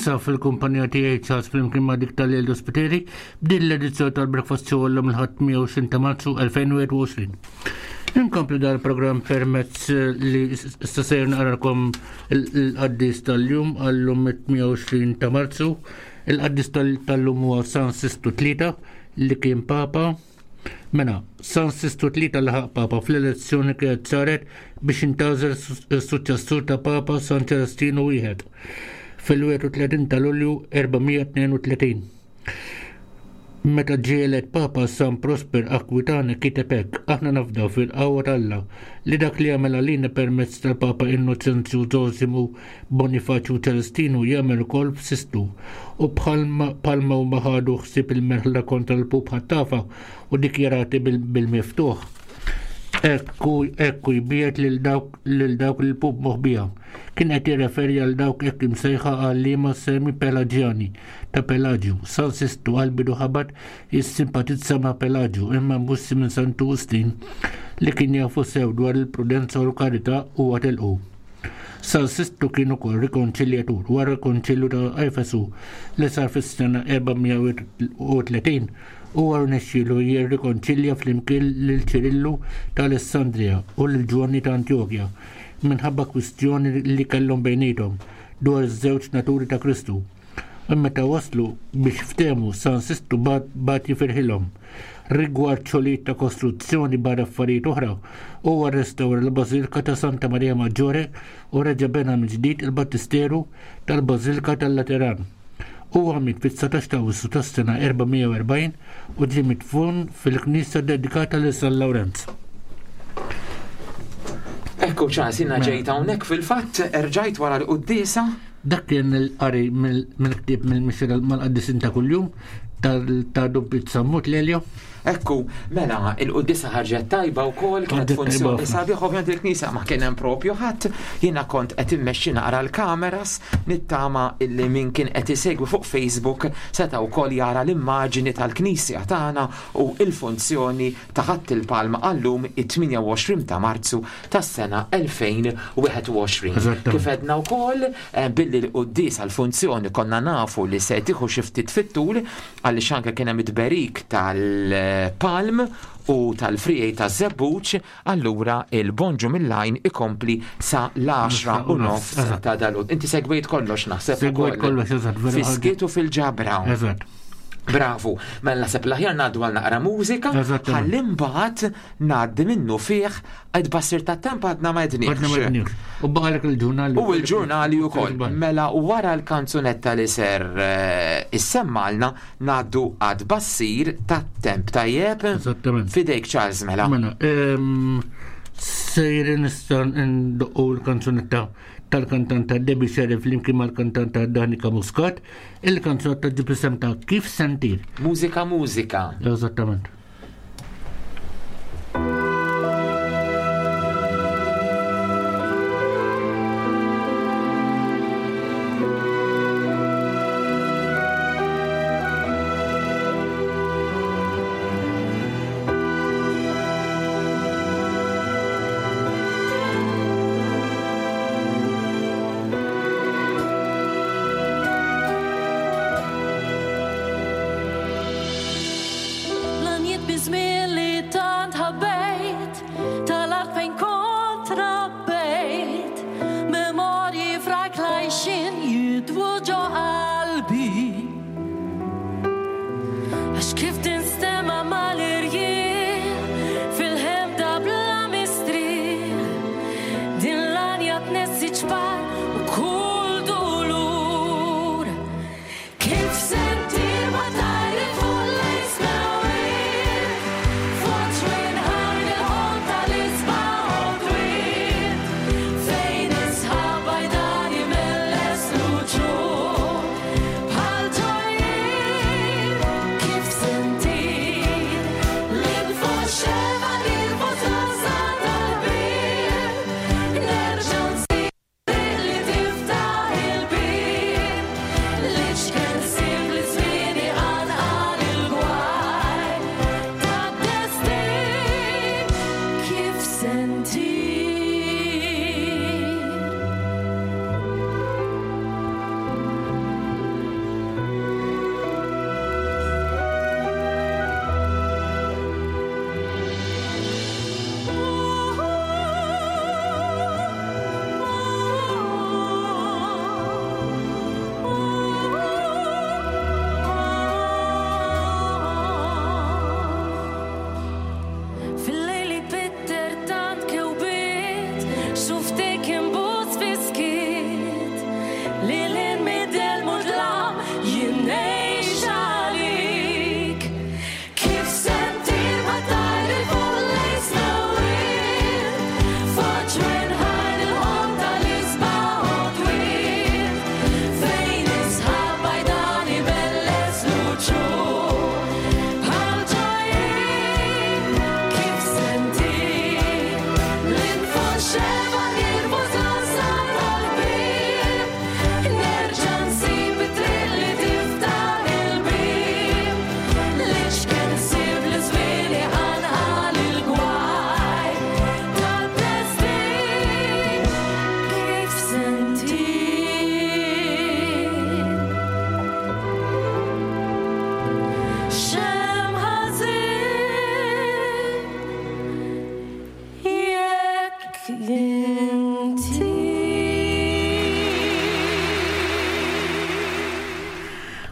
I: Ninsab fil-kumpanija tiegħi Charles flimkien ma' dik tal-Eldo Spiteri b'din l-edizzjoni tal-Breakfast Show llum il-Ħadd tmienja u għoxrin ta' Marzu elfejn u wieħed u għoxrin. Inkomplu dal-programm permezz li issa sejr naqralkom il-qaddis tal-jum għallum it-tmienja u għoxrin ta' Marzu. Il-qaddis tal-lum huwa San Sistu Tlieta li kien Papa. Mela, San Sistu Tlieta laħaq Papa fl-elezzjoni kienet saret biex intgħażel is-suċċessur ta' Papa San Ċelestinu wieħed fil-wieħed u tletin ta' Lulju erba' mija tnejn u tletin. Meta ġie elett Papa, San Prosper Aquitani kiteb hekk: aħna nafdaw fil-qawwa t'Alla li dak li għamel għalina permezz tal-Papa Innocenzju Zosimu Bonifaċju Ċelestinu jagħmel ukoll f'Sistu, u bħalma huma ħadu ħsieb il-merħla kontra l-pup ħattafa u dikjarati bil-miftuħ. Ekku ekku jbiet lil dawk lil dawk il-pup moħbija. Kien qed jirreferi għal dawk hekk imsejħa għalliema semi Pelaġjani ta' Pelaġju. San Sistu għal-bidu ħabat jissimpatizza ma' Pelaġju, imma mbussi minn Santu Wistin li kien jafu sew dwar il-prudenza u l-karità u għatelqu. San Sistu kien ukoll rikonċiljatur wara l-Konċilju ta' Efesu li sar fis-sena erba' mija u tletin. Huwa rnexxielu jirrikonċilja flimkien lil Ċirillu ta' Alessandria u lil Ġwanni ta' Antjokja minħabba kwistjoni li kellhom bejniethom dwar iż-żewġ naturi ta' Kristu. U meta waslu biex ftehmu, San Sistu bagħat jifirħilhom. Rigward xogħlijiet ta' kostruzzjoni barra affarijiet oħra, huwa rrestawra l-Bażilka ta' Santa Maria Maggiore u reġa' bena mill-ġdid il-Battisteru tal-Bażilka tal-Lateran. Huwa miet fit-dsatax ta' Awwissu tas-sena erba' mija u erbgħin u ġie midfun fil-knisja dedikata lil San Lawrenz.
H: Ekku Charles, jiena ġejt hawnhekk fil-fatt, erġajt wara l-quddiesa.
I: Dak kien il-qari mill-ktieb mill-mixja mal-qaddisin ta' kuljum ta' Dun Piet Sammut Lelio.
H: Ekku, mela, il-quddiesa ħarġet tajba wkoll, kienet
I: Ħarġet tajba
H: funzjoni
I: ħafna.
H: sabiħ, ovvjament il-knisja ma kien hemm propju ħadd, jiena kont qed immexxi naqra l-kameras, nittama illi min kien qed isegwi fuq Facebook seta' wkoll jara l-immaġini tal-knisja tagħna u l-funzjoni ta' Ħadd il-Palma għallum it-tmienja u għoxrin ta' Marzu tas-sena elfejn u wieħed u għoxrin.
I: Eżattament.
H: Kif għedna wkoll, eh, billi l-quddiesa l-funzjoni konna nafu li se tieħu xi ftit fit-tul, għaliex anke kien hemm it-tberik tal-palm u tal-frijej taż-żebbuġ, allura il-bonġu mill-lajn ikompli sa l-għaxra u nofs
I: Eżatt.
H: ta' dalgħodu. Inti segwejt kollox naħseb
I: Segwejt
H: ukoll.
I: kollox, eżatt, vera
H: Fiskiet u fil-ġabra.
I: Eżatt.
H: Bravu, mela naħseb l-aħjar ngħaddu għal naqra mużika,
I: Eżattament.
H: ħalli mbagħad ngħaddi minnu fih għad basir tat-temp għadna ma
I: Għadna ma
H: għedniex.
I: għedniex. U baqalek il-ġurnali.
H: U l-ġurnali wkoll. Mela wara l-kanzunetta li ser, eh, issemmalna ngħaddu għad bassir tat-temp tajjeb.
I: Eżattament.
H: Fidejk Charles mela.
I: Mela, ehm, sejri nista' ndoqqu l-kanzunetta tal-kantanta Debbie Sheriff flimkien mal-kantanta Danica Muscat, il-kanzunetta ġib isem ta' Kif Sentir.
H: Mużika, mużika.
I: Eżattament.
P: L-għanjiet bizmien li tant ħabbejt, tal-art fejn kont rabbejt, memorji frak lajxin jidwu ġo qalbi. Għax kif tinstema mal-irjieħ, fil-ħemda bla mistrieħ, din l-għanja tnessi ċpar u kull dulur. Kif sentir ma tajri fuq l-ismawir, fuq ġwinħar il-ħon tal-isbaħ u dwir, fejn isħab għajdani mill-esluċu bħal ġojjir. Kif sentir l-infuxeva l-infużaza tal-bir, nerġa' nsir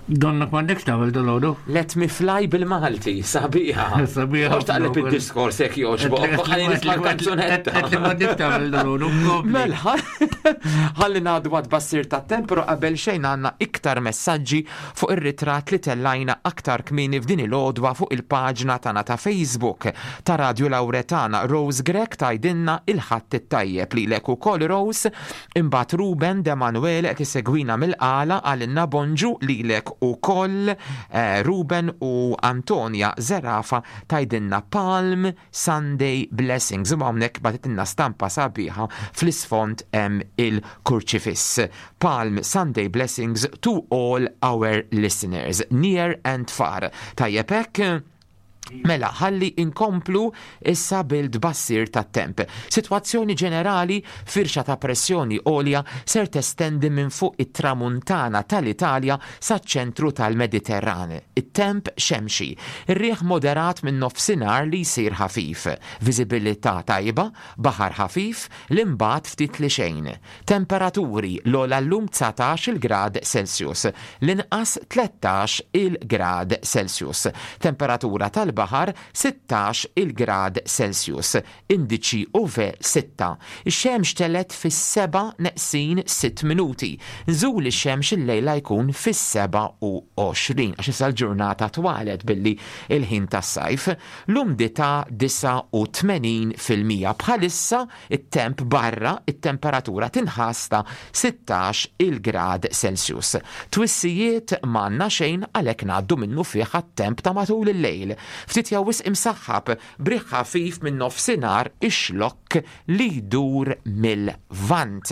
I: Donnok m'għandekx tagħmel dalgħodu.
H: Let me fly bil-Malti, sabiħa.
I: Sabiħa.
H: Mhux taqleb id-diskors jekk jogħġbok, ħalli nisma' l-kanzunetta.
I: Qed li m'għandekx tagħmel dalgħodu.
H: Mela, ħalli ngħaddu għat-tbassir tat-temp, però qabel xejn għandna iktar messaġġi fuq ir-ritratt li tellajna aktar kmieni f'din il-għodwa fuq il-paġna tagħna ta' Facebook ta' Radio Lauretana. Rose Grech tgħidilna il-Ħadd it-tajjeb lilek ukoll, Rose. Imbagħad Ruben De Manuele qed isegwina mill-Qala, qalilna bonġu lilek ukoll eh, Ruben, u Antonia Zerafa tgħidilna Palm Sunday Blessings u hawnhekk bagħtitilna stampa sabiħa, fl-isfond hemm il-kurċifiss. Palm Sunday Blessings to all our listeners, near and far. Tajjeb hekk? Mela, ħalli inkomplu issa bil-tbassir tat-temp. Situazzjoni ġenerali, firxa ta' pressjoni għolja ser testendi minn fuq it-tramuntana tal-Italja sa' ċentru tal-Mediterran. It-temp xemxi, ir-riħ moderat minn nofsinhar li jsir ħafif, viżibilità tajba, baħar ħafif, l-imbagħad ftit li xejn. Temperaturi, l-ogħla llum dsatax il-grad Celsius, l-inqas tlettax il-grad Celsius. Temperatura tal baħar sittax il-grad Celsius, indiċi U V sitta. Ix-xemx telgħet fis-sebgħa neqsin sitt minuti. Nżul ix-xemx illejla jkun fis-sebgħa u għoxrin, għax issa l-ġurnata twalet billi il-ħin tas-sajf. L-umdità disgħa u tmenin fil-mija. Bħalissa it-temp barra, it-temperatura tinħass ta' sittax il-grad Celsius. Twissijiet m'għandna xejn, għalhekk ngħaddu minnufih għat-temp ta' matul il-lejl. Ftit jew wisq imsaħħab b'riħ ħafif minn nofsinhar ix-Xlokk li jdur mill-Lvant.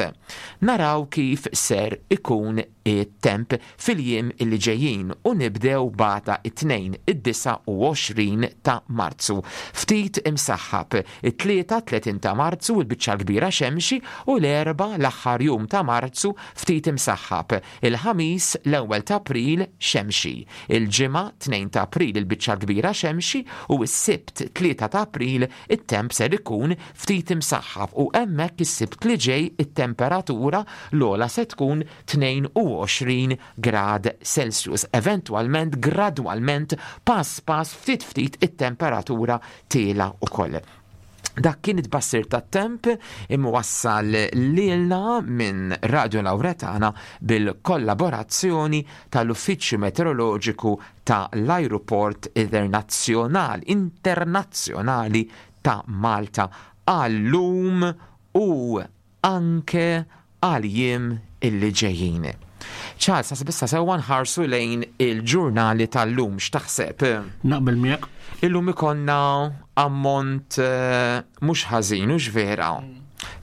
H: Naraw kif ser ikun it-temp fil-jiem illi ġejjin u nibdew b'għada, it-Tnejn, id-disgħa u għoxrin ta' Marzu. Ftit imsaħħab, it-Tlieta, tletin ta' Marzu, il-biċċa kbira xemxi u l-Erbgħa, l-aħħar jum ta' Marzu, ftit imsaħħab. Il-Ħamis, l-ewwel ta' April, xemxi. Il-Ġimgħa, tnejn ta' April, il-biċċa kbira xemxi u s-Sibt, tlieta ta' April, it-temp ser ikun ftit imsaħħab u hemmhekk is-Sibt li ġej it-temperatura l-ogħla se tkun tnejn u għoxrin grad Celsius. Eventwalment, gradwalment, pass pass, ftit ftit it-temperatura tiela' ukoll. Dak kien it-tbassir tat-temp imwassal lilna minn Radio Lauretana bil-kollaborazzjoni tal-Uffiċċju Meteoroloġiku ta' l-Aeroport Internazzjonali Internazzjonali ta' Malta għal-lum u anke għal-jiem illi ġejjin. Charles, għasib issa sewwa nħarsu lejn il-ġurnali tal-lum, x'taħseb?
I: Naqbel miegħek.
H: Illum ikollna ammont eh, mhux ħażin, mhux vera?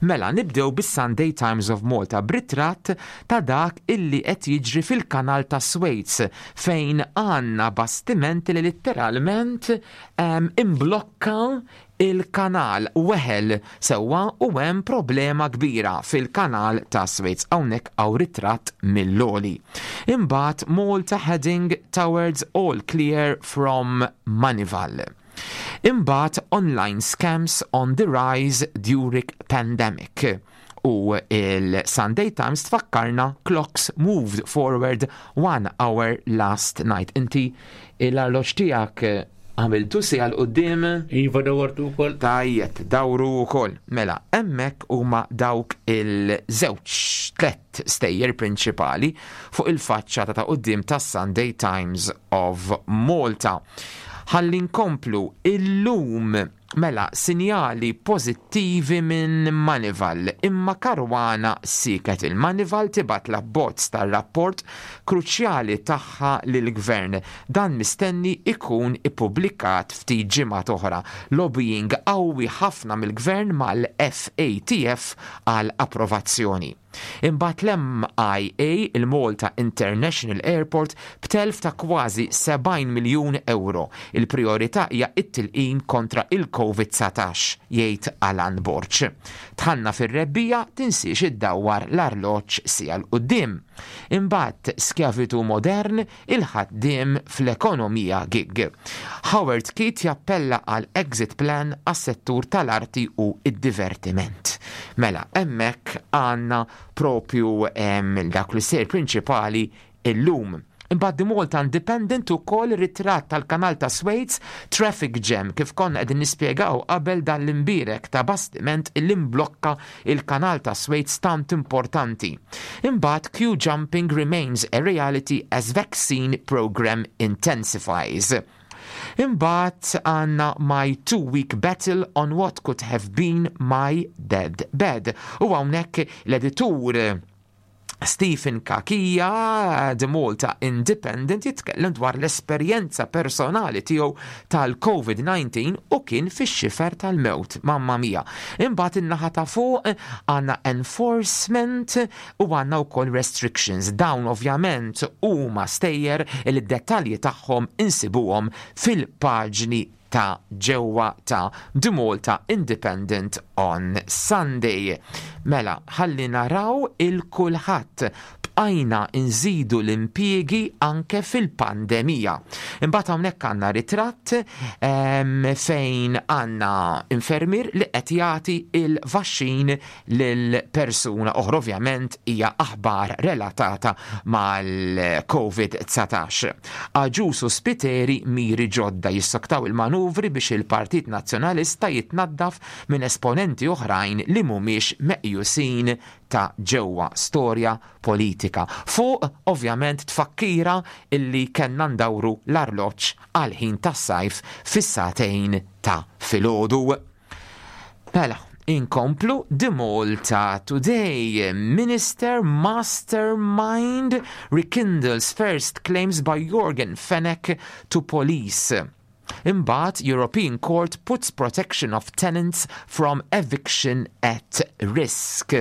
H: Mela, nibdew bis-Sunday Times of Malta b'ritratt ta' dak illi qed jiġri fil-kanal ta' Suez, fejn għandna bastimenti li letteralment um, imblokka il-kanal, weħel sewwa u hemm problema kbira fil-kanal ta' Suez. Hawnhekk hawn ritratt mill-għoli. Imbagħad Malta heading towards all clear from Moneyval. Imbagħad online scams on the rise during pandemic. U il-Sunday Times tfakkarna clocks moved forward one hour last night. Inti l-arloġġ tiegħek għamiltu siegħa 'l quddiem?
I: Iva, dawartu wkoll.
H: Tajjeb, dawru wkoll. Mela, hemmhekk huma dawk il-żewġ tlet stejjer prinċipali fuq il-faċċata ta' quddiem tas Sunday Times of Malta. Ħalli nkomplu illum, mela, sinjali pożittivi minn Moneyval, imma Caruana siket. Il-Moneyval tibgħat l-abbozz tar-rapport kruċjali tagħha lill-gvern. Dan mistenni ikun ippubblikat ftit ġimgħat oħra. Lobbying qawwi ħafna mill-gvern mal-F A T F għal approvazzjoni. Imbagħad l-M I A, il-Malta International Airport, b'telf ta' kważi sebgħin miljun euro. Il-priorità hija it-tilqim kontra il-Covid dsatax, jgħid Alan Borg. Dħalna fir-rebbiegħa, tinsiex iddawwar l-arloġġ siegħa 'l quddiem. Imbagħad skjavitu modern, il-ħaddiem fl-ekonomija gig. Howard Keith jappella għal exit plan għas-settur tal-arti u id-divertiment. Mela, hemmhekk għandna propju em, dak li ser prinċipali illum. Imbagħad The Malta Independent ukoll ritratt tal-kanal ta' Suez, traffic jam, kif konna qegħdin nispjegaw qabel, dan l-imbirek ta' bastiment illi mblokka il-kanal ta' Suez tant importanti. Imbagħad queue jumping remains a reality as vaccine program intensifies. Imbagħad għandna my two-week battle on what could have been my dead bed. U hawnhekk l-editur Stephen Cachia, The Malta Independent, jitkellem dwar l-esperjenza personali tiegħu tal-COVID nineteen u kien fix-xifer tal-mewt, mamma mia. Imbagħad in-naħa ta' fuq għandna enforcement u għandna wkoll restrictions. Dawn ovvjament huma stejjer li d-dettalji tagħhom insibuhom fil-paġni ta' ġewwa ta' The Malta Independent on Sunday. Mela, ħalli naraw il-Kulħadd, bqajna nżidu l-impjiegi anke fil-pandemija. Imbagħad hawnhekk għandna ritratt em, fejn għandna infermier li qed jagħti il-vaxxin lil persuna oħra, ovvjament hija aħbar relatata mal-COVID nineteen. Agius u Spiteri miri ġodda, jissoktaw il-manuvri biex il-Partit Nazzjonalista jitnaddaf minn esponenti oħrajn li mhumiex meqjusin ta' ġewwa, storja politika. Fuq ovvjament tfakkira illi kellna ndawru l-arloġġ għal ħin tas-sajf fis-sagħtejn ta' filgħodu. Mela, inkomplu The Malta Today. Minister Mastermind rekindles first claims by Yorgen Fenech to police. Imbagħad European Court puts protection of tenants from eviction at risk.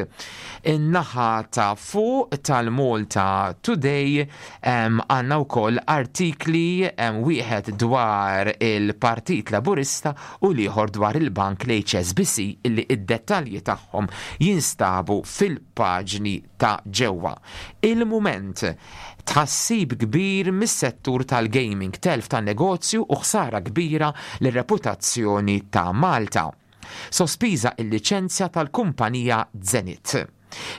H: In-naħa ta' fuq tal-Malta Today għandna wkoll artikli, um, wieħed dwar il-Partit Laburista u l-ieħor dwar il-bank l-H S B C, illi id-dettalji tagħhom jinstabu fil-paġni ta' ġewwa. Il-Mument, tħassib kbir mis-settur tal-gaming, telf ta' negozju u ħsara kbira lir-reputazzjoni ta' Malta. Sospiża il-liċenzja tal-kumpanija Zenit.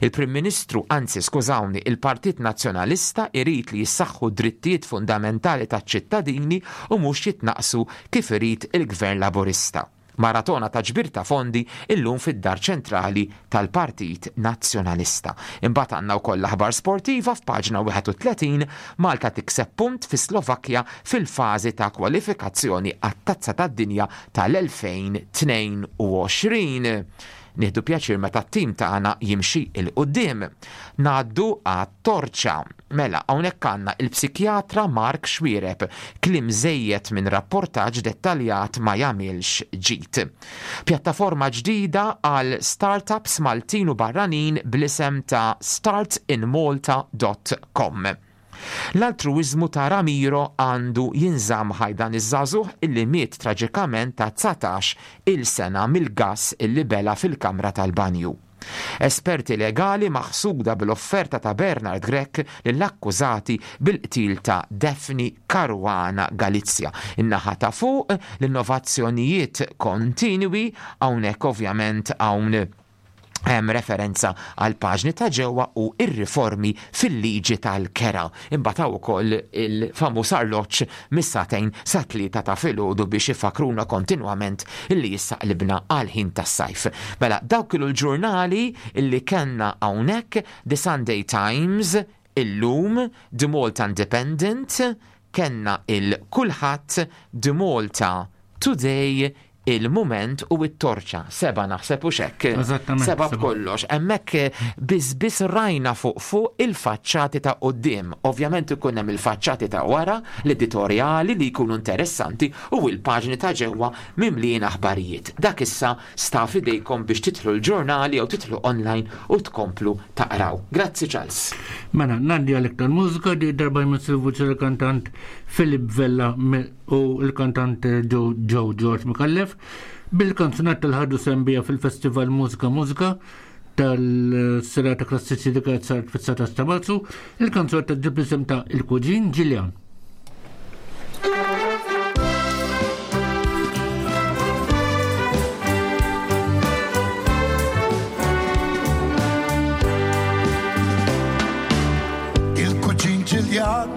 H: Il-Prim Ministru, anzi skużawni, il-Partit Nazzjonalista irid li jissaħħu drittijiet fundamentali taċ-ċittadini u mhux jitnaqsu kif irid il-Gvern Laburista. Maratona ta' ġbir ta' fondi illum fid-dar ċentrali tal-Partit Nazzjonalista. Imbagħad għandna wkoll l-aħbar sportiva f'paġna wieħed u tletin, Malta tikseb punt fi Slovakkja fil-fażi ta' kwalifikazzjoni għat-Tazza tad-Dinja tal-elfejn u tnejn u għoxrin. Nieħdu pjaċir meta t-tim tagħna jimxi 'l quddiem. Ngħaddu għat-Torċa. Mela, hawnhekk għandna il-psikjatra Mark Xuereb, kliem żejjed minn rapportaġġ dettaljat ma jagħmilx ġid. Pjattaforma ġdida għal startups Maltin u barranin bl-isem ta' startinmalta punt com. L-altruizmu ta' Ramiro għandu jinżamm ħaj, dan iż-żagħżugħ illi miet traġikament ta' dsatax il-sena mill-gas illi bela fil-kamra tal-banju. Esperti legali maħsuda bil-offerta ta' Bernard Grech lill-akkużati bil-qtil ta' Daphne Caruana Galizia. In-naħa ta' fuq l-innovazzjonijiet kontinwi, hawnhekk ovvjament hawn hemm referenza għal paġni ta' ġewwa u ir-riformi fil-liġi tal-kera. Imbagħad hawn ukoll il-famuż arloġġ mis-sagħtejn sa tlieta ta' filgħodu biex ifakruna kontinwament illi issa qlibna għal ħin tas-sajf. Mela, dawk kienu l-ġurnali illi kellna hawnhekk: The Sunday Times, Illum, The Malta Independent, kellna il-Kulħadd, The Malta Today, Il-Mument u it-Torċa. Seba naħseb u xek.
I: Eżattament,
H: Seba
I: seba.
H: b'kollox. Hemmhekk biss biss rajna fuq fuq il-faċċati ta' quddiem. Ovvjament ikun hemm il-faċċati ta' wara, l-editorjali li jkunu interessanti u il-paġni ta' ġewwa mimlijin aħbarijiet. Dak issa sta f'idejkom biex titlu l-ġurnali jew titlu online u tkomplu taqraw. Grazzi, Charles.
I: Mela, ngħaddi għal iktar mużika, di darba jmiss il-vuċi l-kantant Philip Vella me- u l-kantant Joe Joe George Micallef bil-kanzunetta li ħadu sehem biha fil-Festival Mużika Mużika tal-serata klassiċi li kienet saret fis-dsatax ta' Marzu, il-kanzunetta ġib l-isem ta' Il-Kuġin Ġiljan.
L: Il-kuġin Ġiljan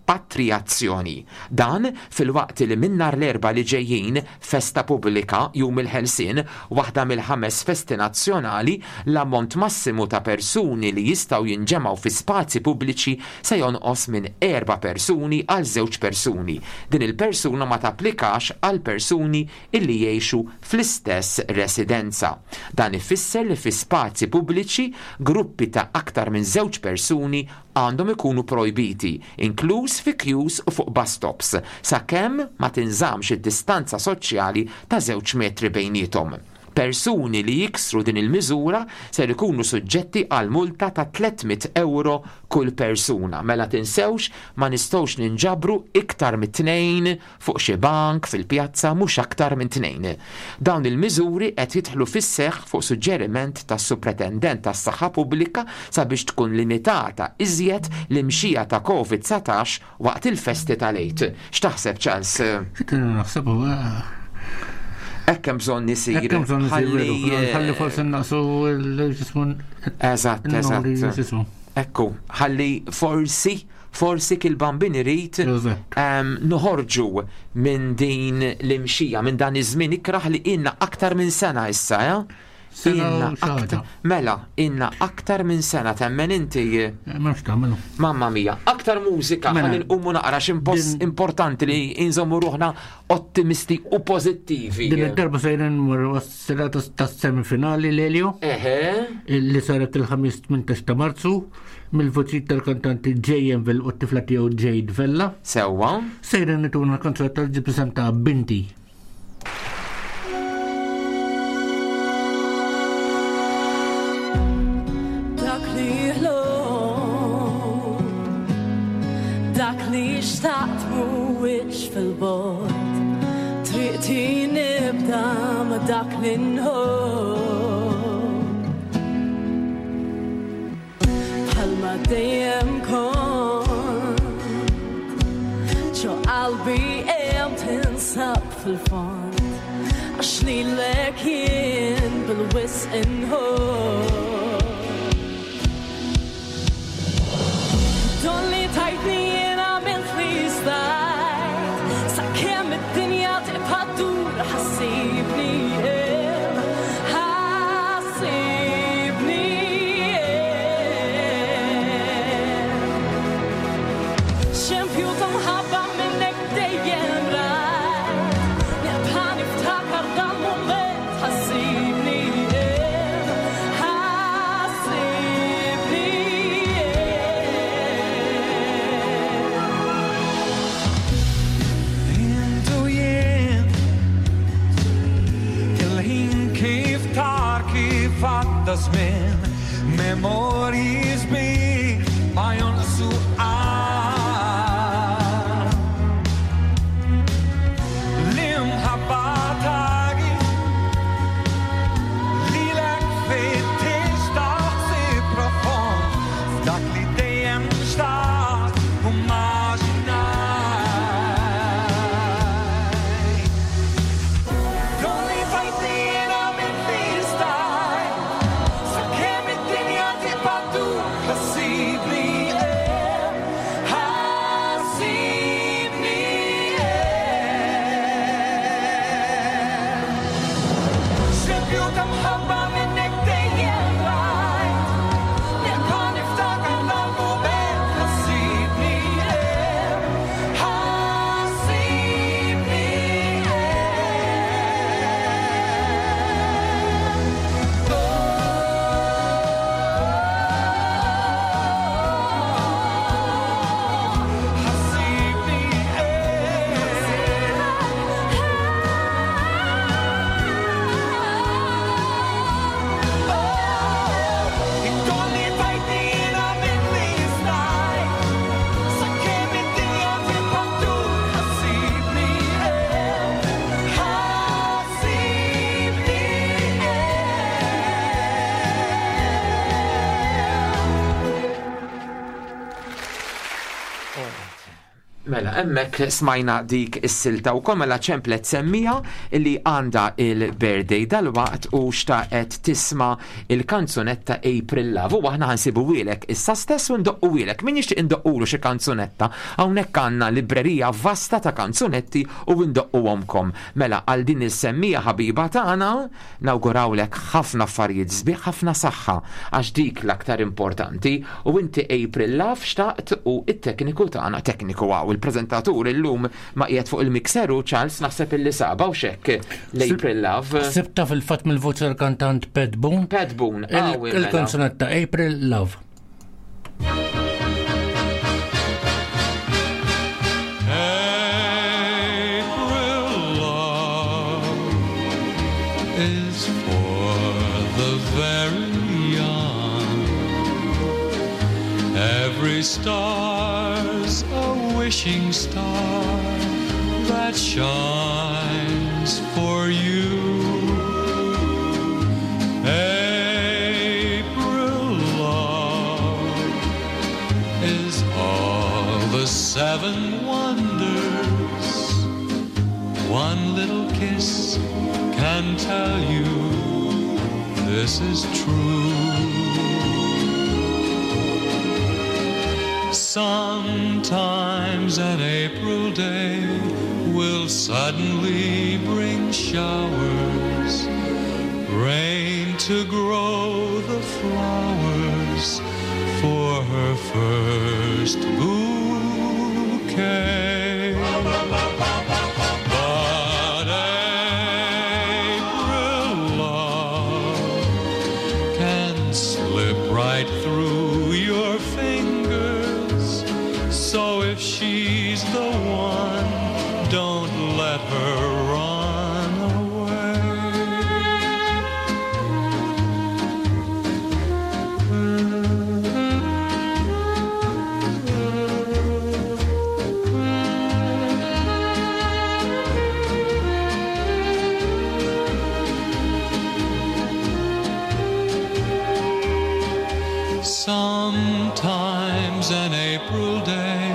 H: ripatrijazzjoni. Dan filwaqt li minn nhar l-Erbgħa li ġejjin, festa pubblika, Jum il-Ħelsien, waħda mill-ħames festi nazzjonali, l-ammont massimu ta' persuni li jistgħu jinġemgħu fi spazji pubbliċi se jonqos minn erba' persuni għal żewġ persuni. Din il-persuna ma tapplikax għal persuni illi jgħixu fl-istess residenza. Dan ifisser li fi spazji pubbliċi gruppi ta' aktar minn żewġ persuni għandhom ikunu projbiti, inkluż fi queues u fuq bus stops, sakemm ma tinżamx id-distanza soċjali ta' żewġ metri bejniethom. Persuni li jiksru din il-miżura ser ikunu suġġetti għal multa ta' tliet mitt euro kull persuna. Mela tinsewx, ma nistgħux ninġabru iktar minn tnejn fuq xi bank fil-pjazza, mhux aktar minn tnejn. Dawn il-miżuri qed jidħlu fis-seħħ fuq suġġeriment tas-Supretendent tas-Saħħa Pubblika sabiex tkun limitata iżjed l-imxija ta' Covid dsatax waqt il-festi tal-Għid. X'taħseb, Charles?
I: X'tinhu naħseb huwa?
H: Hekk hemm bżonn isir.
I: Hekk hemm bżonn isir,
H: Ħalli,
I: veru. Ħalli forsi naqsu l-ġismu.
H: Eżatt,
I: n-numri
H: eżatt.
I: ġismu.
H: Ekku, ħalli forsi, forsi kil-bambin irid, em, noħorġu minn din l-imxija, minn dan iż-żmien ikraħ li inna aktar minn sena issa, ja?
I: Sena
H: Inna
I: u xi ħaġa.
H: aktar, mela, inna aktar minn sena, temmen inti?
I: M'hemmx tagħmlu.
H: Mamma mia, aktar mużika,
I: Mela.
H: ħalli nqumu naqra x'impost importanti li inżommu ruħna ottimisti u pożittivi.
I: Din id-darba sejrin nmorru għas-serata tas-semifinali l-Elio.
H: Eħe.
I: Li saret il-ħamis tmintax ta' Marzu mill-voċi tal-kantanti J M Vell u t-tifla tiegħu Jade Vella.
H: Sewwa.
I: Sejrin nituna l-kanzunetta tal ġi presenta Binti.
P: Dak li ħlom, dak li xtaqt mhuwiex fil-bogħod, triqti nibda ma' dak li nħobb. Bħalma dejjem kont, ġo qalbi hemm tinsab fil-fond, għax lilek jien bil-wisq inħobb. Don li tajtni jien għamilt li stajt, sakemm id-dinja tibqa' ddur ħassibni hemm, ħassibni hemm. Xempju ta' mħabba minnek dejjem rajt, nibqa' niftakar dal-mument ħassibni hemm, ħassibni
B: Intu jien il-ħin kif tar kif għadda żmien, memorji sbieħ ma jonqsu qatt. L-imħabba tagi lilek fittex taħsib profond, f'dak li dejjem xtaqt u maġinaj. Don li tajtni jiena minn li stajt, sakemm id-dinja tibqa' ddur ħassibni hemm, ħassibni hemm. Xempju ta' mħabba minnek dejjem rajt, nibqa' niftakar dal-mument ħassibni hemm, ħassibni ħassibni Id-dolli tajtni jiena minn li stajt, sakemm id-dinja tibqa' ddur ħassibni hemm, ħassibni
H: Mela, hemmhekk smajna dik is-silta u mela ċemplet semmija li għandha il-birthday dalwaqt u xtaqet tisma il-kanzunetta April Love. U aħna ħa nsibuhielek issa stess u ndoqquhielek. Min jixtieq indoqqulu xi kanzunetta, hawnhekk għandna librerija vasta ta' kanzunetti u ndoqquhomkom. Mela, għal din is-semmija ħabiba tagħna nawgurawlek ħafna affarijiet sbieħ, ħafna saħħa, għax dik l-aktar importanti. U inti April Love xtaqt u it-tekniku tagħna, tekniku għaw, il-prezentatur illum ma qiegħed fuq il-mixeru Charles naħseb illi saba u xekk l-April Love.
I: Sibta fil-fatt mill-voċi tal-kantant Pat Boone.
H: Pat Boone,
I: Il-
H: qawwi mela.
I: Il-kanzunetta April Love.
O: April love is for the very young. Every star's a wishing star that shines for you. April love is all the seven wonders. One little kiss can tell you this is true. Sometimes an April day will suddenly bring showers, rain to grow the flowers for her first bouquet. But April love can slip right through your fingers. So if she's the one, don't let her run away. Sometimes an April day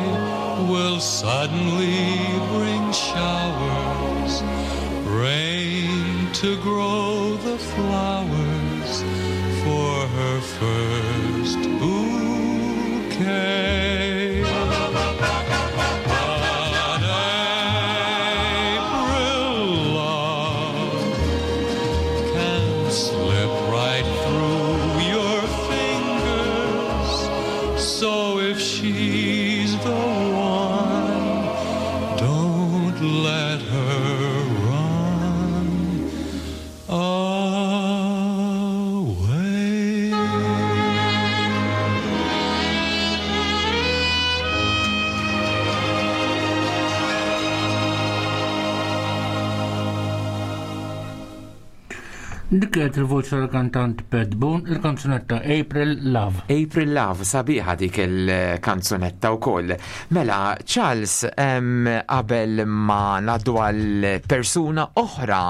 O: will suddenly bring showers, rain to grow the flowers for her first bouquet. But April love can slip right through your fingers. So if she's the one, don't let her run away.
I: Dik kienet il-voċi tal-kantant Pat Boone, il-kanzunetta April Love.
H: April Love, sabiħa dik il-kanzunetta u koll. Mela, Charles, em, qabel ma ngħaddu għal persuna oħra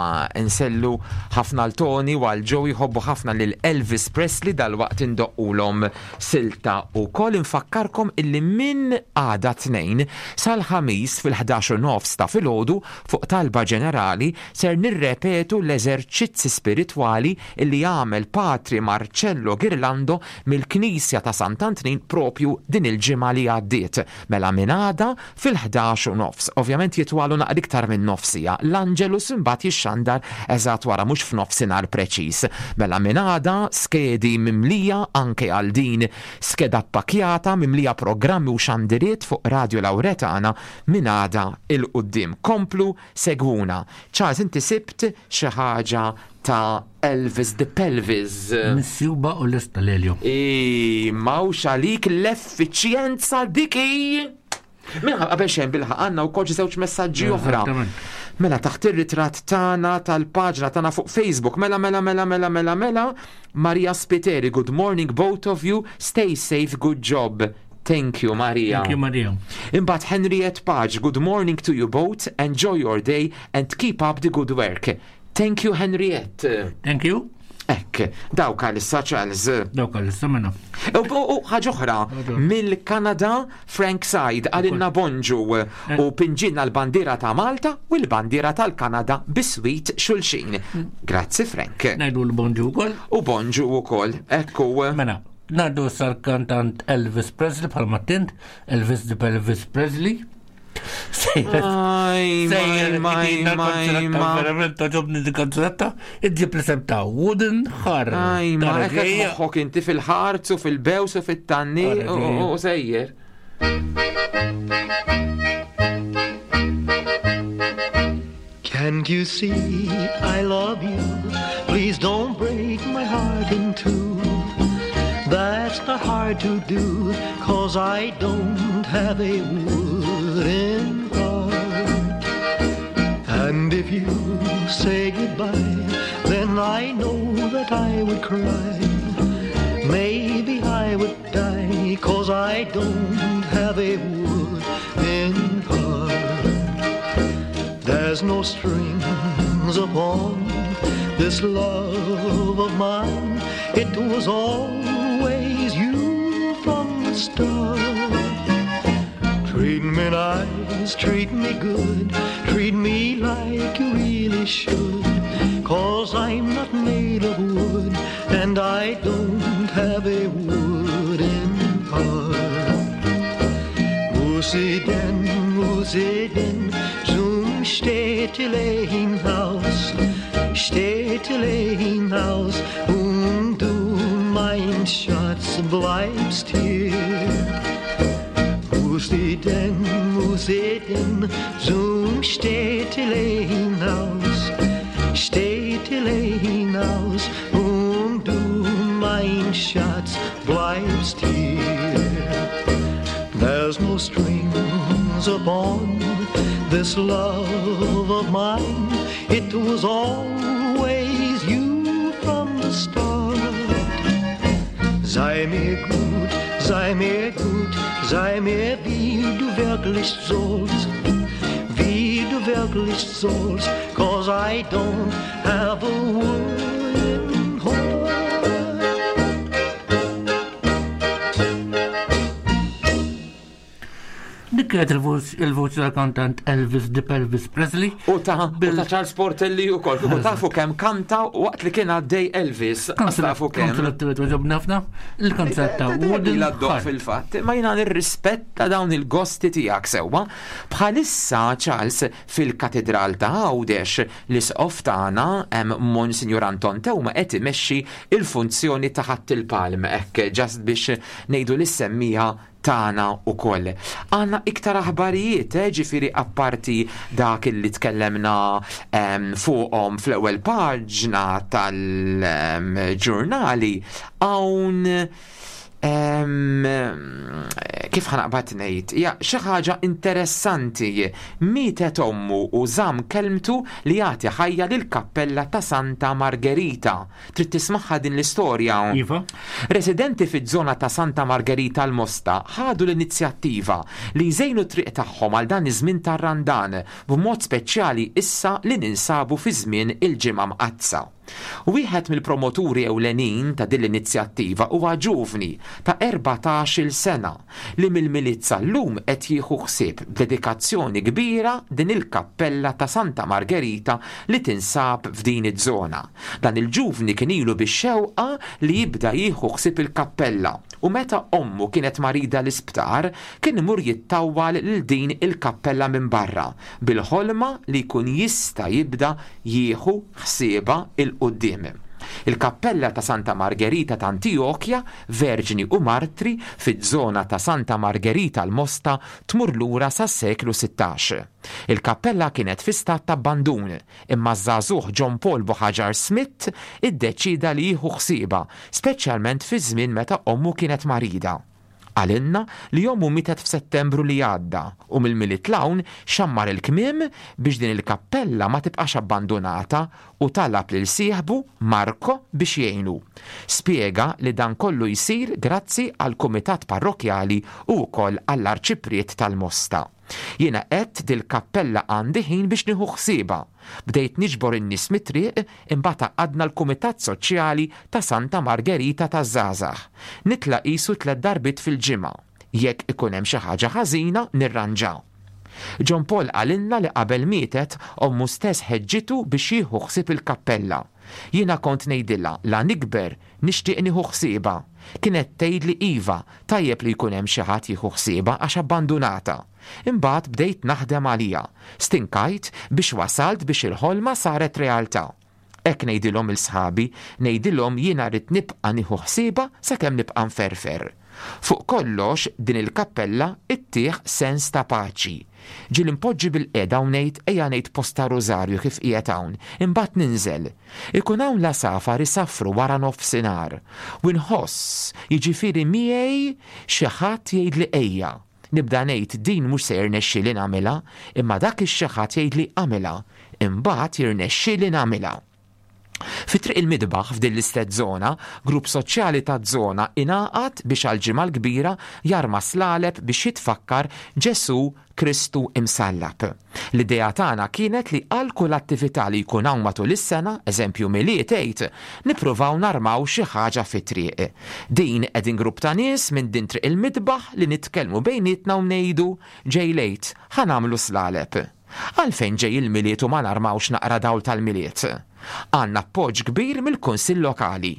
H: nsellu ħafna lil Tony u għal Joe jħobbu ħafna lil Elvis Presley dalwaqt indoqqulhom silta u koll infakkarkom illi minn għada tnejn sal-ħamis fil-ħdax u nofs ta' filgħodu fuq talba ġenerali ser nirrepetu l-eżerċizzi spiritwali illi għamel Patri Marcello Girlando mill-Knisja ta' Sant'Antnin propju din il-ġimgħa li għaddiet. Mela minn għada fil-ħdax u nofs. Ovvjament jitwalu naqra iktar minn nofsija. L-Angelus imbagħad jixxandar eżatt wara mhux f'nofsinhar preċiż. Mela minn għada skedi mimlija anke għal din skeda ppakjata mimlija programmi u xandiriet fuq Radio Lauretana minn għada 'l quddiem. Komplu segwuna. Charles, inti sibt xi ħaġa ta' Elvis the Pelvis.
I: Misjuba u lesta Lelio.
H: I mawx għalik l-effiċjenza diki. Mela qabel xejn bilħaq għandna wkoll xi żewġ messaġġi oħra.
I: Eżattament.
H: Mela taħt ir-ritratt tagħna tal-paġna tagħna fuq Facebook. Mela mela mela mela mela mela Maria Spiteri, good morning both of you. Stay safe, good job. Thank you, Maria.
I: Thank you, Maria.
H: Imbagħad Henriette Page, good morning to you both. Enjoy your day and keep up the good work. Thank you, Henriette.
I: Thank you.
H: Ekk, dawk għalissa, Charles.
I: Dawk għalissa mena.
H: U ħaġa oħra, mill-Kanada Frank Said għalinna bonġu u pinġinna l-bandiera ta' Malta u l-bandiera tal-Kanada biswit xulxin. Grazzi, Frank.
I: Ngħidu l-bonġu wkoll.
H: U bonġu wkoll. Ekku.
I: Mela, ngħaddu sal-kantant Elvis Presley bħalma tint, Elvis the Elvis Presley.
H: Aj,
I: Sejjer
H: maj,
I: itina
H: maj,
I: kanzunetta,
H: ma.
I: verament toġobni di kanzunetta, iġġib l-isem ta' Wooden Heart.
H: Aj, ma,
I: Tara
H: hekk
I: ġejja.
H: moħħok inti fil-ħarz u fil-bews u fit-tanni
I: Tara
H: u-
I: ġejja.
H: u u sejjer.
Q: Can't you see I love you? Please don't break my heart in two. That's not hard to do, 'cause I don't have a wooden heart. And if you say goodbye, then I know that I would cry. Maybe I would die, 'cause I don't have a wooden heart. There's no strings upon this love of mine. It was always you from the start. Treat me nice, treat me good, treat me like you really should. 'Cause I'm not made of wood, and I don't have a wooden heart. Wo sie denn, wo sie denn zum Städtelein-Haus, Städtelein-Haus, und du, mein Schatz, bleibst hier. Wo sie denn, wo sie denn zum Städtelein-Haus, Städtelein-Haus, und du, mein Schatz, bleibst hier. There's no strings upon this love of mine. It was always you from the start. Sei mir gut, sei mir gut, sei mir, wie du wirklich sollst. Wie du wirklich sollst, 'cause I don't have a wooden heart.
I: Dik kienet il-voċi tal-kantant Elvis the Pelvis Presley.
H: U ta' u ta' Charles Portelli u kol, u tafu kemm kanta waqt li kien għaddej Elvis. Tafu kemm.
I: Kanzunetta li toġobni ħafna, il-kanzunetta Wooden
H: La ddoq
I: Heart.
H: fil-fatt, ma jina nirrispetta dawn il-gosti tiegħek sewwa. Bħalissa, Charles, fil-katedral ta' Għawdex, l-isqof tagħna hemm Monsignor Anton Teuma qed imexxi il-funzjoni ta' Ħadd il-Palm, hekk just biex ngħidu li semmija tagħna ukoll. Għandna iktar aħbarijiet, eh, ġifieri apparti dak illi tkellemna em, fuqhom fl-ewwel paġna tal-ġurnali, hawn em, kif ħa naqbad ngħid, ja xi ħaġa interessanti, mietet ommu u żamm kelmtu li jagħti ħajja lil kappella ta' Santa Margherita. Trid tismagħha din l-istorja?
I: Iva.
H: Residenti fiż-żona ta' Santa Margherita l-Mosta ħadu l-inizjattiva li jżejnu triq tagħhom għal dan iż-żmien tar-Randan, b'mod speċjali issa li ninsabu fi żmien il-Ġimgħa Mqaddsa. Wieħed mill-promoturi ewlenin ta' din l-inizjattiva huwa ġuvni ta' erbatax-il sena li mill-Milied sal-lum qed jieħu ħsieb b'dedikazzjoni kbira din il-kappella ta' Santa Margherita li tinsab f'din iż-żona. Dan il-ġuvni kien ilu bix-xewqa li jibda jieħu ħsieb il-kappella u meta ommu kienet marida l-isptar kien imur jittawwal lil din il-kappella minn barra bil-ħolma li jkun jista' jibda jieħu ħsiebha il-quddiem. Il-kappella ta' Santa Margherita ta' Antiochia, Verġni u Martri, fiż-żona ta' Santa Margherita l-Mosta, tmur lura sas-seklu sittax. Il-kappella kienet fi stat ta' abbandun, imma żagħżugħ John Paul Buhagiar Smith iddeċida li jieħu ħsiebha, speċjalment fi żmien meta ommu kienet marida. Għalinna li ommu mietet f'Settembru li għadda u mill-Milied 'l hawn xammar il-kmiem biex din il-kappella ma tibqax abbandonata u talab lil sieħbu Marco biex jgħinu. Spjega li dan kollu jsir grazzi għal kumitat parrokjali u wkoll għall-arċipriet tal-Mosta. Jiena għedt dil-kappella għandi ħin biex nieħu ħsiebha. Bdejt niġbor in-nies mit-triq, imbagħad għaqqadna l-Kumitat Soċjali ta' Santa Margherita taż-Żgħażagħ. Nitla' qisu tliet darbiet fil-ġimgħa. Jekk ikun hemm xi ħaġa ħażina nirranġa. John Paul qalilna li qabel mietet, ommu stess ħeġġitu biex jieħu ħsieb il-kappella. Jiena kont ngħidilha la nikber nixtieq nieħu ħsiebha. Kienet tgħidli iva, tajjeb li jkun hemm xi ħadd jieħu ħsiebha għax abbandunata. Imbagħad bdejt naħdem għaliha. Stinkajt biex wasalt biex il-ħolma saret realtà. Hekk ngħidilhom lil sħabi, ngħidilhom jiena rrid nibqa' nieħu ħsiebha sakemm nibqa' nferfer. Fuq kollox din il-kappella ittih sens ta' paċi. Ġieli npoġġi bilqiegħda u ngħid ejja ngħid posta rużarju kif qiegħed hawn, imbagħad ninżel. Ikun hawn l-għasafar isaffru wara nofsinhar u nħoss, jiġifieri miegħi xi ħadd jgħidli ejja. Nibda ngħid din mhux se jirnexxieli nagħmilha, imma dak ix-xi ħadd jgħidli agħmilha. Imbagħad jirnexxieli nagħmilha. Fi Triq il-Midbaħ f'din l-istess żona, grupp soċjali taż-żona ingħaqad biex għall-Ġimgħa l-Kbira jarma slaleb biex jitfakkar Ġesù Kristu imsallab. L-idea tagħna kienet li għal kull attività li jkun hawn matul is-sena, eżempju Milied Għid, nippruvaw narmaw xi ħaġa fit-triq. Din qegħdin grupp ta' nies minn din Triq il-Midbaħ li nitkellmu bejnietna u ngħidu ġej l-Għid, ħa nagħmlu slaleb. Għalfejn ġej il-Milied u ma narmawx naqra dawl tal-Milied? Għandna appoġġ kbir mill-Kunsill Lokali.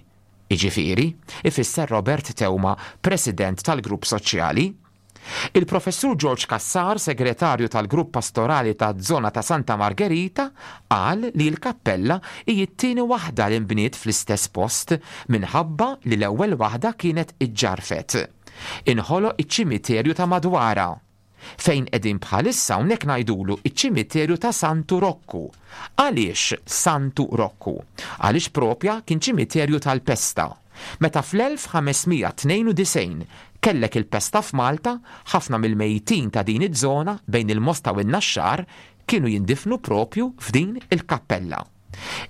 H: Jiġifieri, ifisser Robert Teuma, President tal-Grupp Soċjali. Il-Professur George Cassar, Segretarju tal-Grupp Pastorali taż-Żona ta' Santa Margherita, qal li l-kappella hi t-tieni waħda li nbniet fl-istess post minħabba li l-ewwel waħda kienet iġġarfet. Inħoloq iċ-ċimiterju ta' madwarha. Fejn qegħdin bħalissa hawnhekk ngħidulu iċ-ċimiterju ta' Santu Rokku. Għaliex Santu Rokku? Għaliex propja kien ċimiterju tal-pesta. Meta fl-elf ħames mija tnejn u disgħin kellek il-pesta f'Malta, ħafna mill-mejtin ta' din iż-żona bejn il-Mosta u n-Naxxar kienu jindifnu propju f'din il-kappella.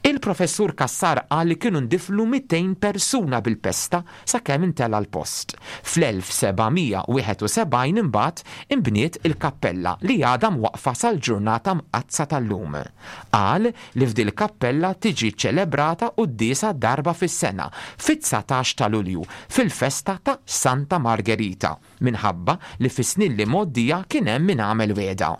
H: Il-professur Cassar qal li kienu ndifnu mitejn persuna bil-pesta sakemm intela l-post. Fl-elf seba' mija wieħed u sebgħin imbagħad inbniet il-kappella li għadha mwaqfa sal-ġurnata mqaddsa tal-lum. Qal li f'dil kappella tiġi ċelebrata quddiesa darba fis-sena fit-dsatax ta' Lulju fil-festa ta' Santa Margherita minħabba li fis-snin li mgħoddija kien hemm min għamel wegħda.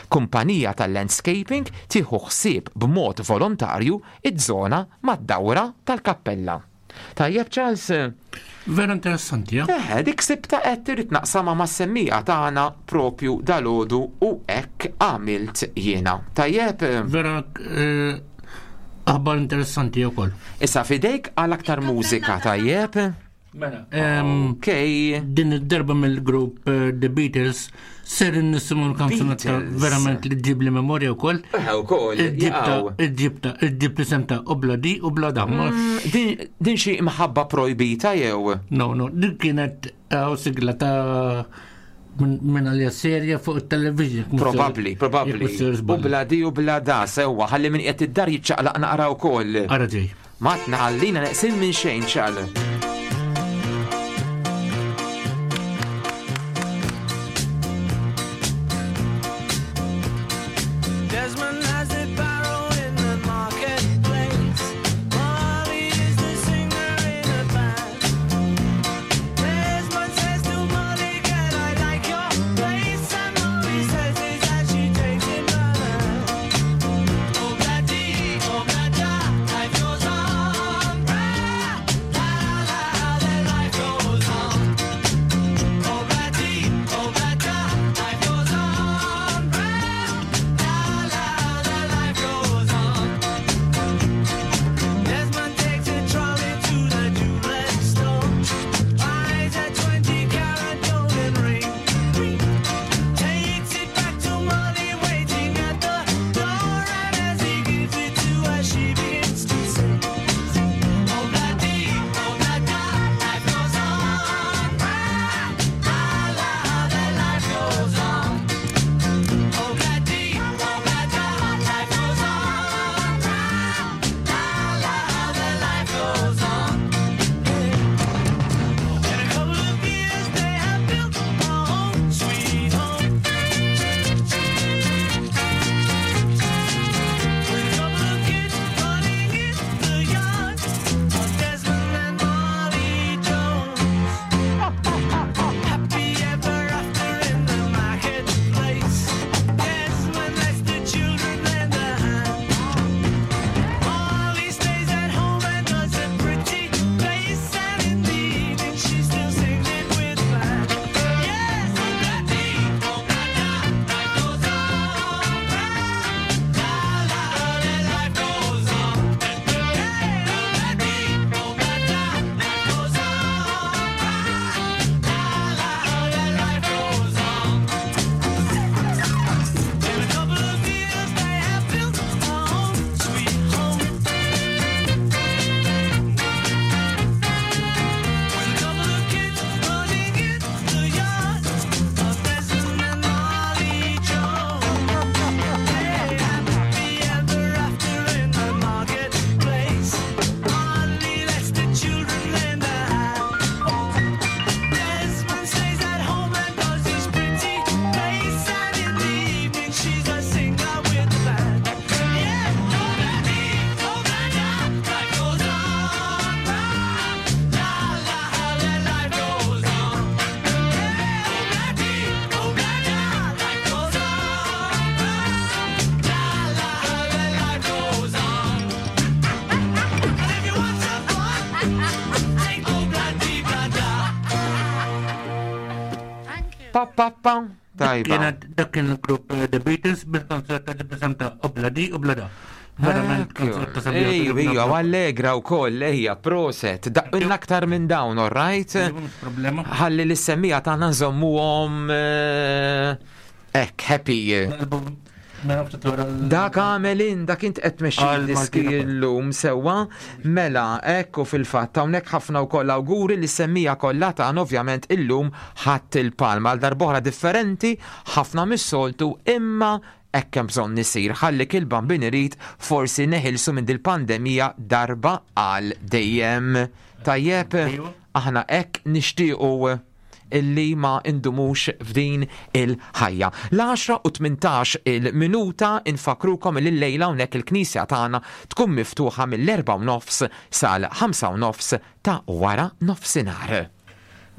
H: Kumpanija tal-landscaping tieħu ħsieb b'mod volontarju iż-żona mad-dawra tal-kappella. Tajjeb, Charles?
I: Vera interessanti, ja?
H: Eh, dik sibta qed trid naqsama mas-semmija tagħna propju dalodu u hekk għamilt jiena. Tajjeb?
I: Vera, eh, aħbar interessanti wkoll.
H: Issa fidejk għal aktar mużika, tajjeb?
I: Mela, ok. Din id-darba mill-grupp, eh, The Beatles ser nisimgħu l-kanzunetta
H: Beatles.
I: verament li ġib li memorja wkoll.
H: Eh, wkoll,
I: Id-ġibta,
H: jaqgħu.
I: id-ġibta, id-ġib l-isem ta' Obladi u Blada.
H: Mm, din, din xi mħabba projbita jew?
I: No, no, din kienet eh, sigla ta' minn min għalija serja fuq il-television.
H: Probabli, probabli. U bladi u blada, sewwa, ħalli min qiegħed id-dar jiċċaqlaq naqra wkoll.
I: Ara ġej.
H: Ma tnaħallina neqsin minn xejn ċal.
R: Desmond has a barrow in the marketplace. Molly is the singer in a band. Desmond says to Molly, can I like your face? And Molly says this as she takes him by the hand. Oh, bloody, oh, bloody, life goes on. La, la, la,
H: pa pa pa. Tajba.
I: Dak kien il-grupp eh, The Beatles bil-kanzunetta li b'isem ta' Obladi Oblada. Verament kanzunetta sabiħa.
H: Ejju, ejju, allegra u koll, ejja, proset. Daqqilna aktar minn dawn, all right?
I: Problema.
H: Ħalli l-semmija tagħna nżommuhom eh, hekk, happy. Dak għamel in, dak int qed tmexxi
I: Għal
H: diski
I: Maltina.
H: llum sewwa, mela ekku fil-fatt hawnhekk ħafna wkoll awguri li semmija kollha tagħna ovvjament illum ħadd il-palma għal darb'oħra differenti ħafna mis-soltu imma hekk hemm bżonn isir ħalli il-bambin irid forsi neħilsu minn dil-pandemija darba għal dejjem. Tajjeb, aħna hekk nixtiequ illi ma indumux f'din il-ħajja. L-għaxra u tmintax il-minuta infakrukom li l-lejla hawnhekk il-knisja tagħna tkun miftuħa mill-erbgħa u nofs sal-ħamsa u nofs ta' wara nofsinhar.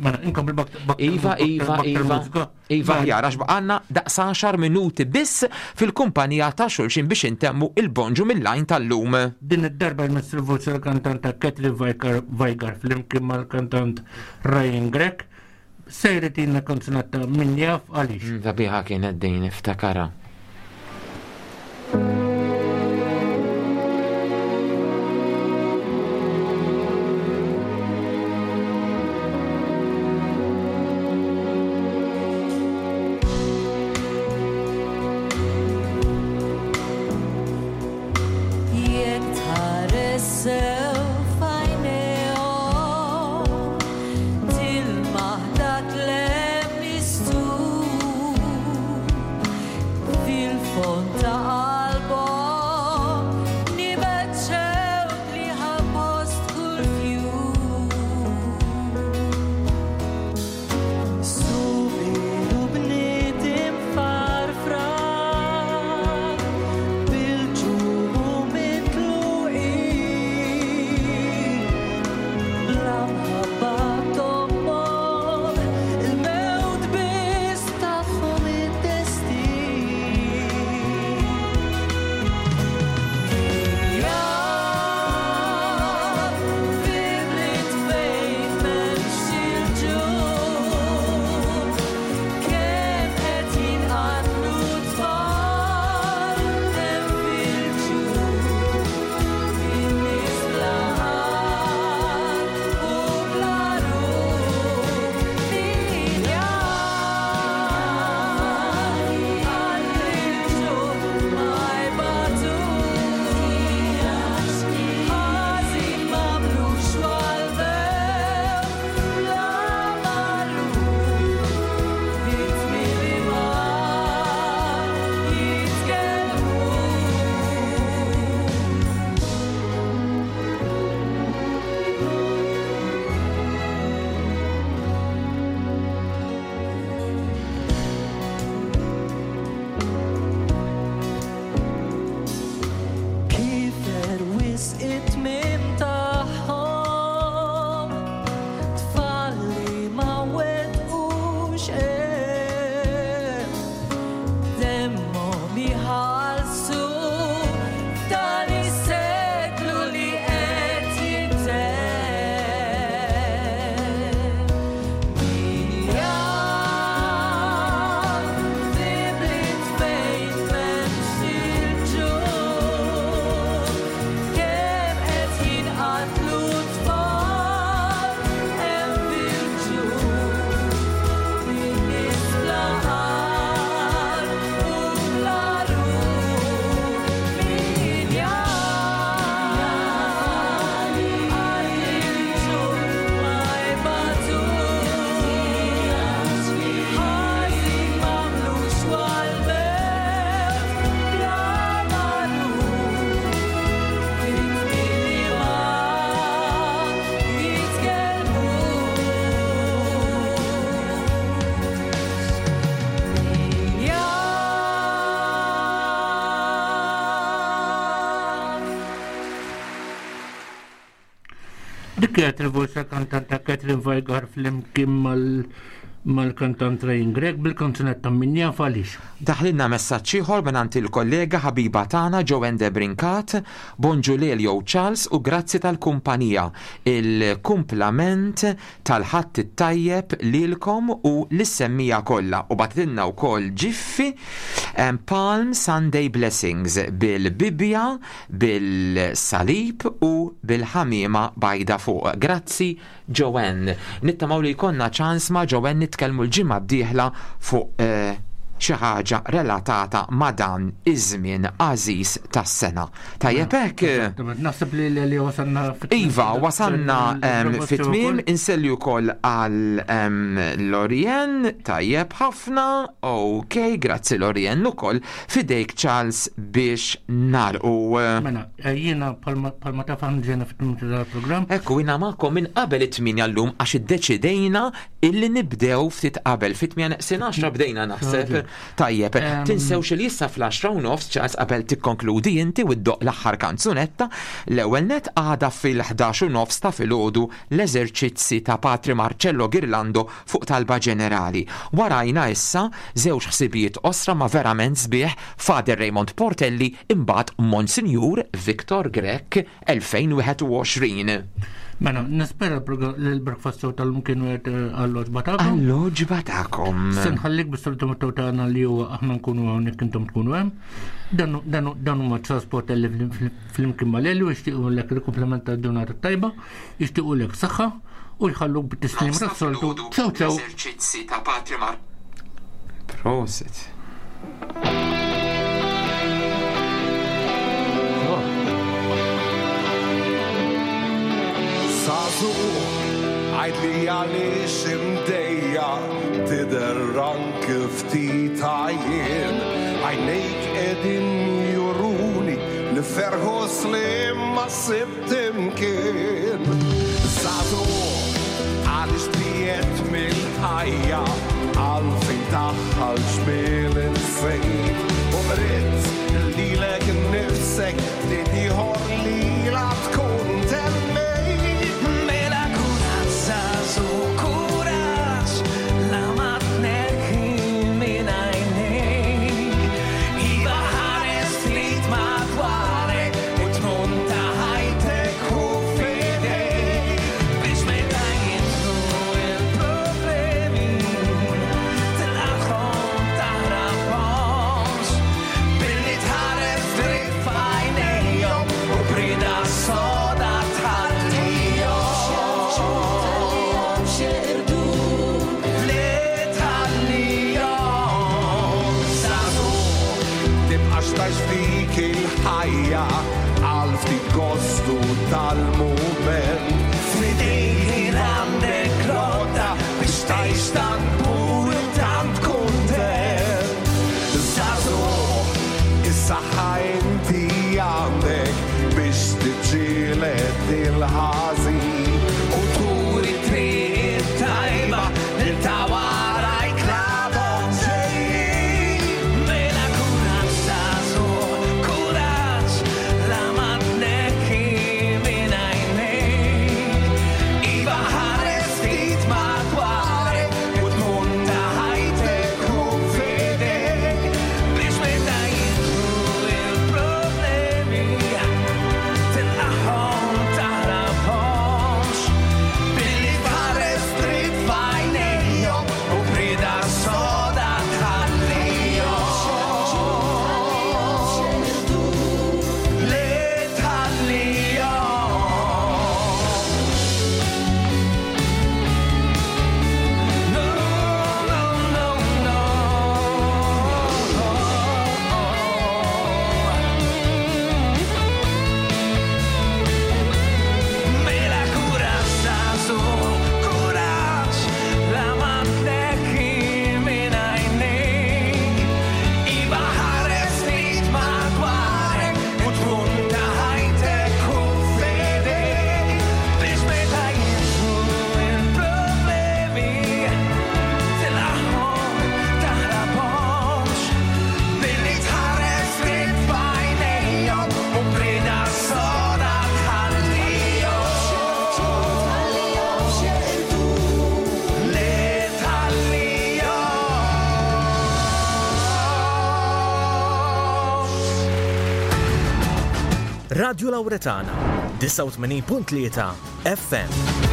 I: Mela, inkompli bak- bak-
H: Iva,
I: bak-
H: Iva,
I: bak-
H: Iva,
I: mużika.
H: Iva, ħjar, għax baqanna daqs għaxar minuti biss fil-kumpanija ta' xulxin biex intemmu il-bonġu mill-lajn tal-lum.
I: Din id-darba jmiss il-voċi l-kantanta Catherine Vajgar Vajgar flimkien mal-kantant Ryan Grech sejritina kanzunetta min jaf għaliex.
H: Sabiħa kienet din iftakara.
P: Jekk tħares sew f'għajnejhom, tilmaħ dak l-hemm mistur. Fil-fond ta' qalbhom nibet xewq li ħa post kull fjur.
R: Subien u bniet imfarfra bil-ġuħ u mitluqin, bla mħabba t'ommhom, il-mewt biss tagħhom id-destin. Jaf fi bliet fejn m'hemmx il-ġuħ, kemm qed jinqatlu tfal hemm fil-ġuħ, in-nies bla għaqal u bla ruħ. Min jaf għal il-ġuħ ma jbatux, ħażin m'għamlux għall-mewt bla magħruf. Vittmi li ma jitkellmux. Kifer wisq it-tmiem tagħhom, tfal li ma wettqux għerf, demmhom iħallsu f'dan is-seklu li qed jintemm. Min jaf fi bliet fejn m'hemmx il-ġuħ, kemm qed jinqatlu tfal hemm fil-ġuħ, in-nies bla għaqal u bla ruħ. Min jaf għal il-ġuħ ma jbatux, ħażin m'għamlux għall-mewt bla magħruf. Vittmi li ma jitkellmux. Min jaf.
I: Dik kienet il-voċi kantanta Catherine Vajgar flimkien mal mal-kantant Ryan Grech bil-kanzunetta Min Jaf Għaliex.
H: Daħlilna messaġġ ieħor mingħand il-kollega ħabiba tagħna Joanne Debrincat, bonġu Lelio Charles u grazzi tal-kumpanija. Il-kumplament tal-Ħadd it-tajjeb lilkom u lis-semmiegħa kollha u bagħtitilna wkoll ġiffi em, Palm Sunday Blessings bil-Bibja, bil-salib u bil-ħamiema bajda fuq. Grazzi Joanne. Nittamaw li jkollna ċans ma' Joanne nitkellmu l-ġimgħa d-dieħla fuq eh, xi ħaġa relatata ma' dan iż-żmien għażiż tas-sena. Tajjeb hekk?
I: Naħseb li li wasanna fit-
H: Iva, wasanna em, fit-tmiem, inselli wkoll għal em, Lorien, tajjeb ħafna, ok, grazzi Lorien ukoll, f'idejk Charles biex nagħlqu.
I: Mela, eh, jiena bħalma taf aħna ġejna fit-tmiem tal-programm.
H: Ekku, jiena magħkom minn qabel it-tmienja llum għax iddeċidejna illi nibdew ftit qabel, fit-tmienja neqsin għaxra bdejna naħseb. Tajjeb,
I: Em,
H: tinsewx li issa fl-għaxra u nofs Charles qabel tikkonkludi inti u ddoqq l-aħħar kanzunetta, l-ewwel net għada fil-ħdax u nofs ta' filgħodu l-eżerċizzi ta' Patri Marcello Girlando fuq talba ġenerali. Warajna issa żewġ ħsibijiet qosra ma' verament sbieħ Father Raymond Portelli imbagħad Monsignor Victor Grech elfejn u wieħed u għoxrin.
I: Mela, nispera li l-breakfast show tal-lum kienu għed għall-għoġba tagħkom.
H: Għall-għoġba tagħkom.
I: Se nħallik bis-salutu tagħna li huwa aħna nkunu hawnhekk intom tkunu hemm. Dan dan dan huma Charles Portelli flimkien ma' Lelju jixtiequ lek il-kumplament tal-ġurnata tajba, jixtiequ lek saħħa u jħalluk bit-tislim tas-soltu. Ciao ciao.
H: L-eżerċizzi ta' Patri Mar. Prosit.
S: Żagħżugħ, għidli għaliex imdejjaq, tidher anki ftit għajjien. Għajnejk qegħdin juruni li ferħ u sliem ma sibt imkien. Żagħżugħ, għaliex tbiegħedt mill-ħajja, għalfejn daħħal ġmiel insejt. U qridt lilek nifsek ftit ieħor li la tkun temmejt.
R: Mela kuraġġ, żagħżugħ, kuraġġ, la ma tneħħi minn għajnejk. Iva ħares ftit madwarek u tmun ta' ħajtek u f'idejk. Biex meta jidħlu il-problemi, tilqagħhom taħrabhomx. Billi tħares dritt f'għajnejhom u b'rieda soda tħallihom. Li tħallihom.
S: Żagħżugħ, tibqax tgħix f'dik il-ħajja għal ftit gostu tal-mument.
R: F'idejk għandek l-għodda biex tgħix tant pur u tant
S: kuntent. Żagħżugħ, is-saħħa inti għandek biex tiġġieled il-ħażin
R: u turi triq tajba lil ta' warajk l-għadhom ġejjin. Mela kuraġġ, żagħżugħ, kuraġġ, la ma tneħħi minn għajnejk. Iva ħares ftit madwarek u
T: Radio Lauretana, disgħa u tmenin punt tlieta F M.